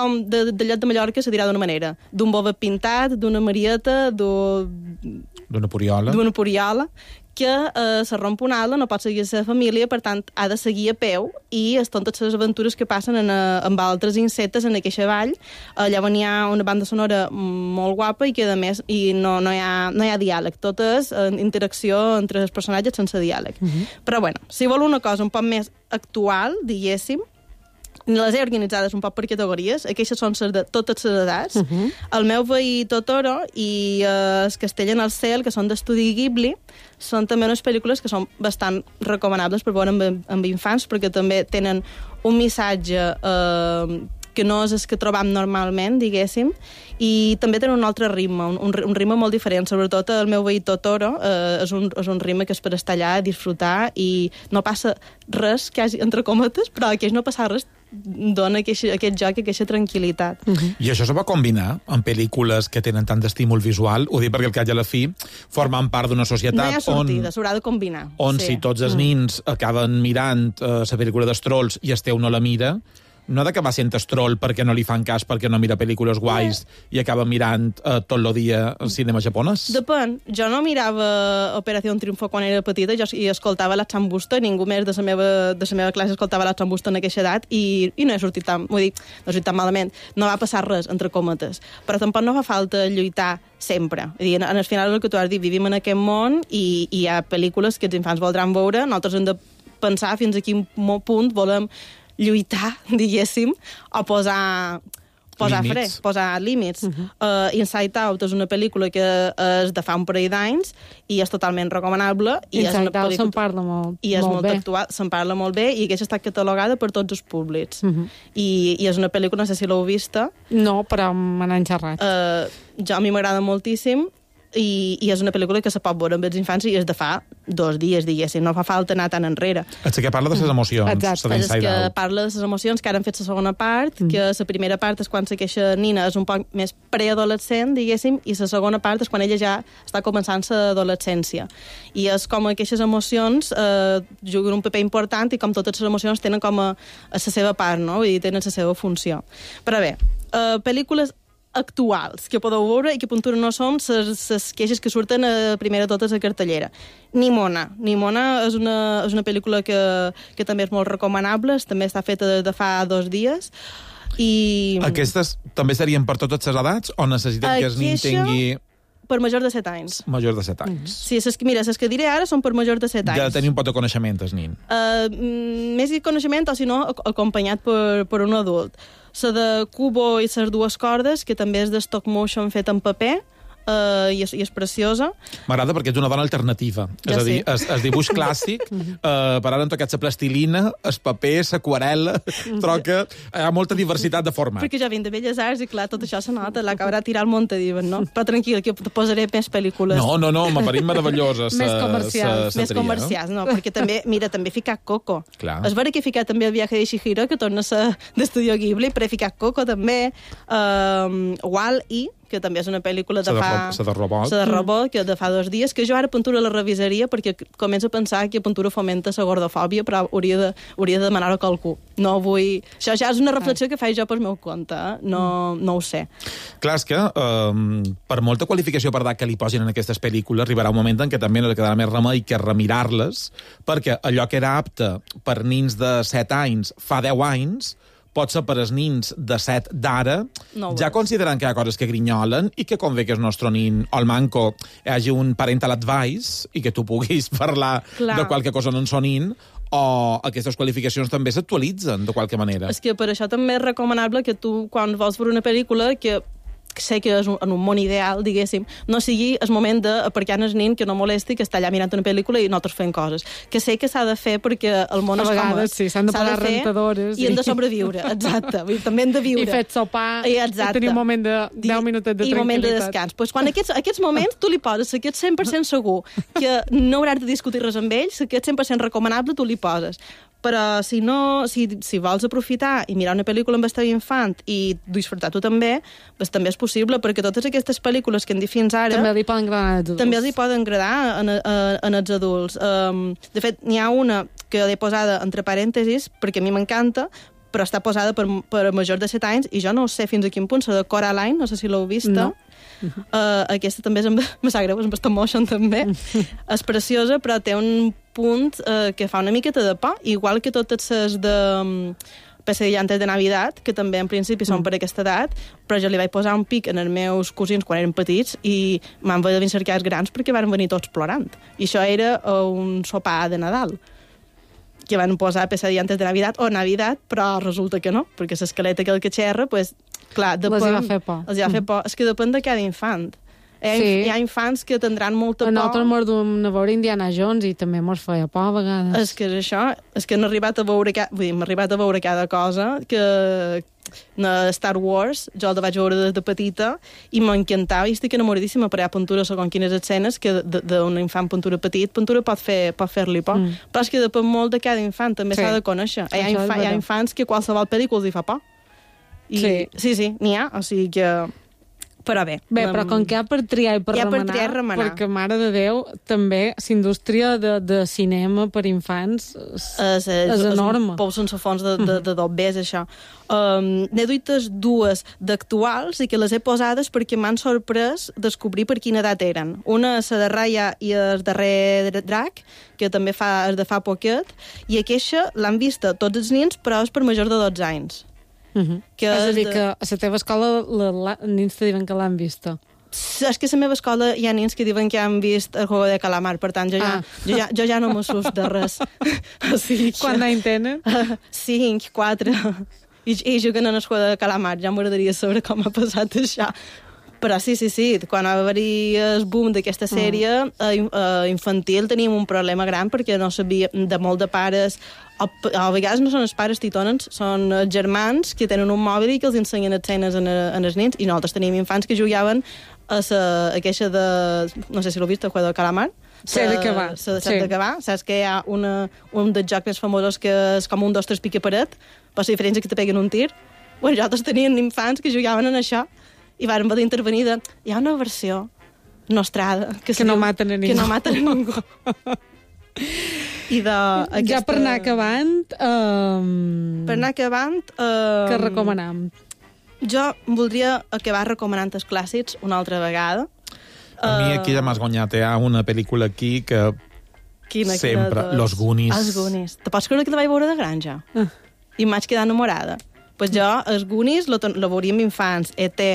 S13: lloc de Mallorca se dirà d'una manera. D'un bovet pintat, d'una marieta,
S6: d'una
S13: poriola, que se romp una ala, no pot seguir la seva família, per tant, ha de seguir a peu, i són totes les aventures que passen amb altres insectes en aquesta vall. Allà on hi ha una banda sonora molt guapa i que, a més, no hi ha diàleg. Tot és interacció entre els personatges sense diàleg. Però, bueno, si vol una cosa un poc més actual, diguéssim, les he organitzades un poc per categories. Aquestes són de totes les edats. El meu veí Totoro i el Castell en el cel, que són d'estudi Ghibli, són també unes pel·lícules que són bastant recomanables per veure amb infants, perquè també tenen un missatge que no és el que trobam normalment, diguéssim, i també tenen un altre ritme, un ritme molt diferent. Sobretot el meu veí Totoro és un ritme que és per estar allà, disfrutar, i no passa res, quasi, entre cometes, però aqueix no passa res, dona aquest joc, aquesta tranquil·litat.
S6: I això se va combinar amb pel·lícules que tenen tant d'estímul visual? Ho dic perquè al cap i a la fi formen part d'una societat
S13: no hi ha sortida, s'haurà de combinar.
S6: On si tots els nins acaben mirant la pel·lícula dels Trolls i el teu no la mira, no d'acabar sent estrol perquè no li fan cas, perquè no mira pel·lícules guais i acaba mirant tot el dia el cinema japonès?
S13: Depèn. Jo no mirava Operació Triunfo quan era petita i escoltava la Chambusta, ningú més de la meva classe escoltava la Chambusta en aquesta edat i no he sortit tan, vull dir, no he sortit tan malament. No va passar res, entre cometes. Però tampoc no fa falta lluitar sempre. És a dir, en el final el que tu has dit, vivim en aquest món i hi ha pel·lícules que els infants voldran veure, nosaltres hem de pensar fins a quin punt volem lluitar, diguéssim, o posar fre, posar límits. Inside Out és una pel·lícula que és de fa un parell d'anys i és totalment recomanable.
S3: Inside Out se'n parla molt
S13: molt actual, se'n parla molt bé i aquesta està catalogada per tots els públics. I és una pel·lícula, no sé si l'heu vista.
S3: No, però me n'han xerrat.
S13: A mi m'agrada moltíssim. I és una pel·lícula que se pot veure amb els infants i és de fa 2 dies, diguéssim, no fa falta anar tan enrere.
S6: És que parla de les emocions.
S13: Exacte. És que parla de les emocions, que ara han fet la segona part, que la primera part és quan aquesta nina és un poc més preadolescent, diguéssim, i la segona part és quan ella ja està començant l'adolescència. I és com aquestes emocions juguen un paper important i com totes les emocions tenen com a la seva part, no? Vull dir, tenen la seva funció. Però bé, pel·lícules actuals que podeu veure i que puntura no són les queixes que surten primer de totes a cartellera. Nimona és una pel·lícula que també és molt recomanable, també està feta de fa 2 dies.
S6: Aquestes també serien per totes les edats o necessiten que el nin tingui...
S13: Per majors de 7 anys.
S6: Majors de 7 anys.
S13: Sí, mira, les que diré ara són per majors de 7 anys.
S6: De tenir un pot de coneixement, el nin.
S13: Més de coneixement, o si no, acompanyat per un adult. La de Kubo i les 2 cordes, que també és de stop motion fet en paper, i és preciosa.
S6: M'agrada perquè és una dona alternativa. És a dir, el dibuix clàssic, per ara han tocat la plastilina, el paper, l'aquarel·la, troca, hi ha molta diversitat de formats.
S13: Perquè jo vinc de Belles Arts i, clar, tot això se nota, l'acabarà tirar al monte, diuen, no? Però tranquil, que te posaré més pel·lícules.
S6: No, m'apareix meravelloses.
S13: Més comercials. Més comercials, no? Perquè també, mira, també he ficat Coco.
S6: Clar.
S13: És vera que he ficat també el viatge de Chihiro, que torna a ser d'Estudio Ghibli, però he ficat Coco també, Wall-E, que també és una pel·lícula de fa...
S6: La de robot.
S13: La de robot, que de fa 2 dies, que jo ara Puntura la revisaria perquè començo a pensar que Puntura fomenta la gordofòbia, però hauria de demanar-ho a qualcú. No vull... Això ja és una reflexió que faig jo pel meu compte, no ho sé.
S6: Clar, és que per molta qualificació per edat que li posin en aquestes pel·lícules, arribarà un moment en què també no li quedarà més remei que remirar-les, perquè allò que era apte per nins de 7 anys fa 10 anys pot ser per als nins de 7 d'ara, ja considerant que hi ha coses que grinyolen i que convé que el nostre nin o el manco hi hagi un parental advice i que tu puguis parlar de qualque cosa en son nin, o aquestes qualificacions també s'actualitzen de qualque manera.
S13: És que per això també és recomanable que tu, quan vols veure una pel·lícula, que sé que és en un món ideal, diguéssim, no sigui el moment d'aparcar el nin que no molesti, que està allà mirant una pel·lícula i nosaltres fent coses. Que sé que s'ha de fer perquè el món és com és.
S3: A vegades sí, s'han de pagar rentadores.
S13: I hem de sobreviure, exacte. També hem de viure.
S3: I fet sopar, i tenir un moment de 10 minutets de tranquil·litat.
S13: I moment de descans. Pues quan aquests moments tu li poses, si ets 100% segur que no hauràs de discutir res amb ells, si ets 100% recomanable, tu li poses. Però si vols aprofitar i mirar una pel·lícula amb el teu infant i disfrutar tu també, doncs també és possible, perquè totes aquestes pel·lícules que hem dit fins ara...
S3: També li poden agradar als adults.
S13: També li poden agradar en els adults. De fet, n'hi ha una que l'he posada entre parèntesis, perquè a mi m'encanta, però està posada per majors de 7 anys, i jo no sé fins a quin punt, la de Coraline, no sé si l'heu vista. No. Aquesta també me sap greu, és amb stop motion també. És preciosa, però té un punt que fa una miqueta de por, igual que totes les de Pesadillantes de Navidad, que també en principi són per aquesta edat, però jo li vaig posar un pic en els meus cosins quan eren petits i m'han de venir cercar els grans perquè van venir tots plorant. I això era un sopar de Nadal, que van posar Pesadillantes de Navidad o Navidad, però resulta que no, perquè l'esqueleta que xerra, pues, clar,
S3: els va fer por.
S13: Els va fer por. És que depèn de cada infant. Hi ha infants que tindran molta por.
S3: Nosaltres mos duem a veure Indiana Jones i també mos feia por a vegades.
S13: És que és això, és que hem arribat a veure cada cosa que Star Wars, jo el vaig veure des de petita i m'encantava i estic enamoradíssima, però hi ha Puntura segons quines escenes que d'un infant Puntura petit, Puntura pot fer-li por. Però és que depèn molt de cada infant, també s'ha de conèixer. Hi ha infants que qualsevol pel·lícula els hi fa por. Sí, n'hi ha, o sigui que Però bé.
S3: Però com que hi ha per triar i per remenar, perquè, mare de Déu, també l'indústria de cinema per infants és enorme.
S13: És un pou sense fons de dobbers, això. N'he duites dues d'actuals i que les he posades perquè m'han sorprès descobrir per quina edat eren. Una és la de Raya i el darrer drac, que també és de fa poquet, i aquesta l'han vista tots els nens, però és per majors de 12 anys.
S3: És a dir, que a la teva escola els nens te diuen que l'han vista.
S13: És que a la meva escola hi ha nens que diuen que han vist el Juego de Calamar, per tant, jo ja no m'assust de res.
S3: Quant d'any tenen?
S13: 5, 4. I juguen en el Juego de Calamar. Ja m'agradaria saber com ha passat això. Però sí, quan va haver-hi el boom d'aquesta sèrie infantil teníem un problema gran perquè no sabia de molt de pares, a vegades no són els pares titònens, són els germans que tenen un mòbil i que els ensenyen escenes als nens, i nosaltres teníem infants que jugaven a aquesta de... no sé si l'heu vist, el Juego de Calamar.
S3: Sé de què va.
S13: Saps que hi ha un dels jocs més famosos que és com 1, 2, 3 pica paret, però la diferència és que te peguen un tir. Bueno, nosaltres teníem infants que jugaven en això i vàrem haver d'intervenir hi ha una versió nostrada que
S3: no maten a ningú.
S13: I
S3: ja per anar acabant... què recomanam?
S13: Jo voldria acabar recomanant els clàssics una altra vegada.
S6: A mi aquí ja m'has guanyat. Hi ha una pel·lícula aquí que sempre... Los Goonies.
S13: Els Goonies. Te pots creure que la vaig veure de granja? I em vaig quedar enamorada. Pues jo, els Goonies, la veuria amb infants, E.T.,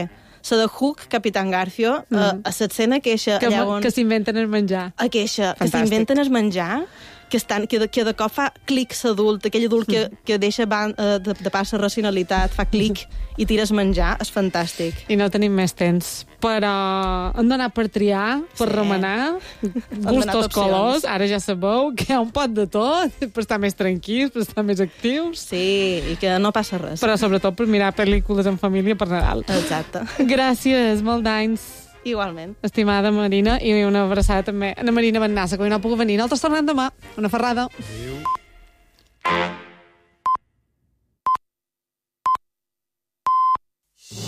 S13: la de Hook, Capitán Garfio, a l'escena que
S3: s'inventen el menjar.
S13: Que s'inventen el menjar, que de cop fa clic l'adult, aquell adult que deixa de pas la racionalitat, fa clic i tires menjar, és fantàstic.
S3: I no tenim més temps, però hem d'anar per triar, per remenar, gustos, colors, ara ja sabeu que hi ha un pot de tot, per estar més tranquils, per estar més actius.
S13: Sí, i que no passa res.
S3: Però sobretot per mirar pel·lícules en família per Nadal.
S13: Exacte.
S3: Gràcies, molt d'anys.
S13: Igualment.
S3: Estimada Marina, i una abraçada també a la Marina Bennassa, que avui no ha pogut venir. Nosaltres tornem demà. Una ferrada. Adéu.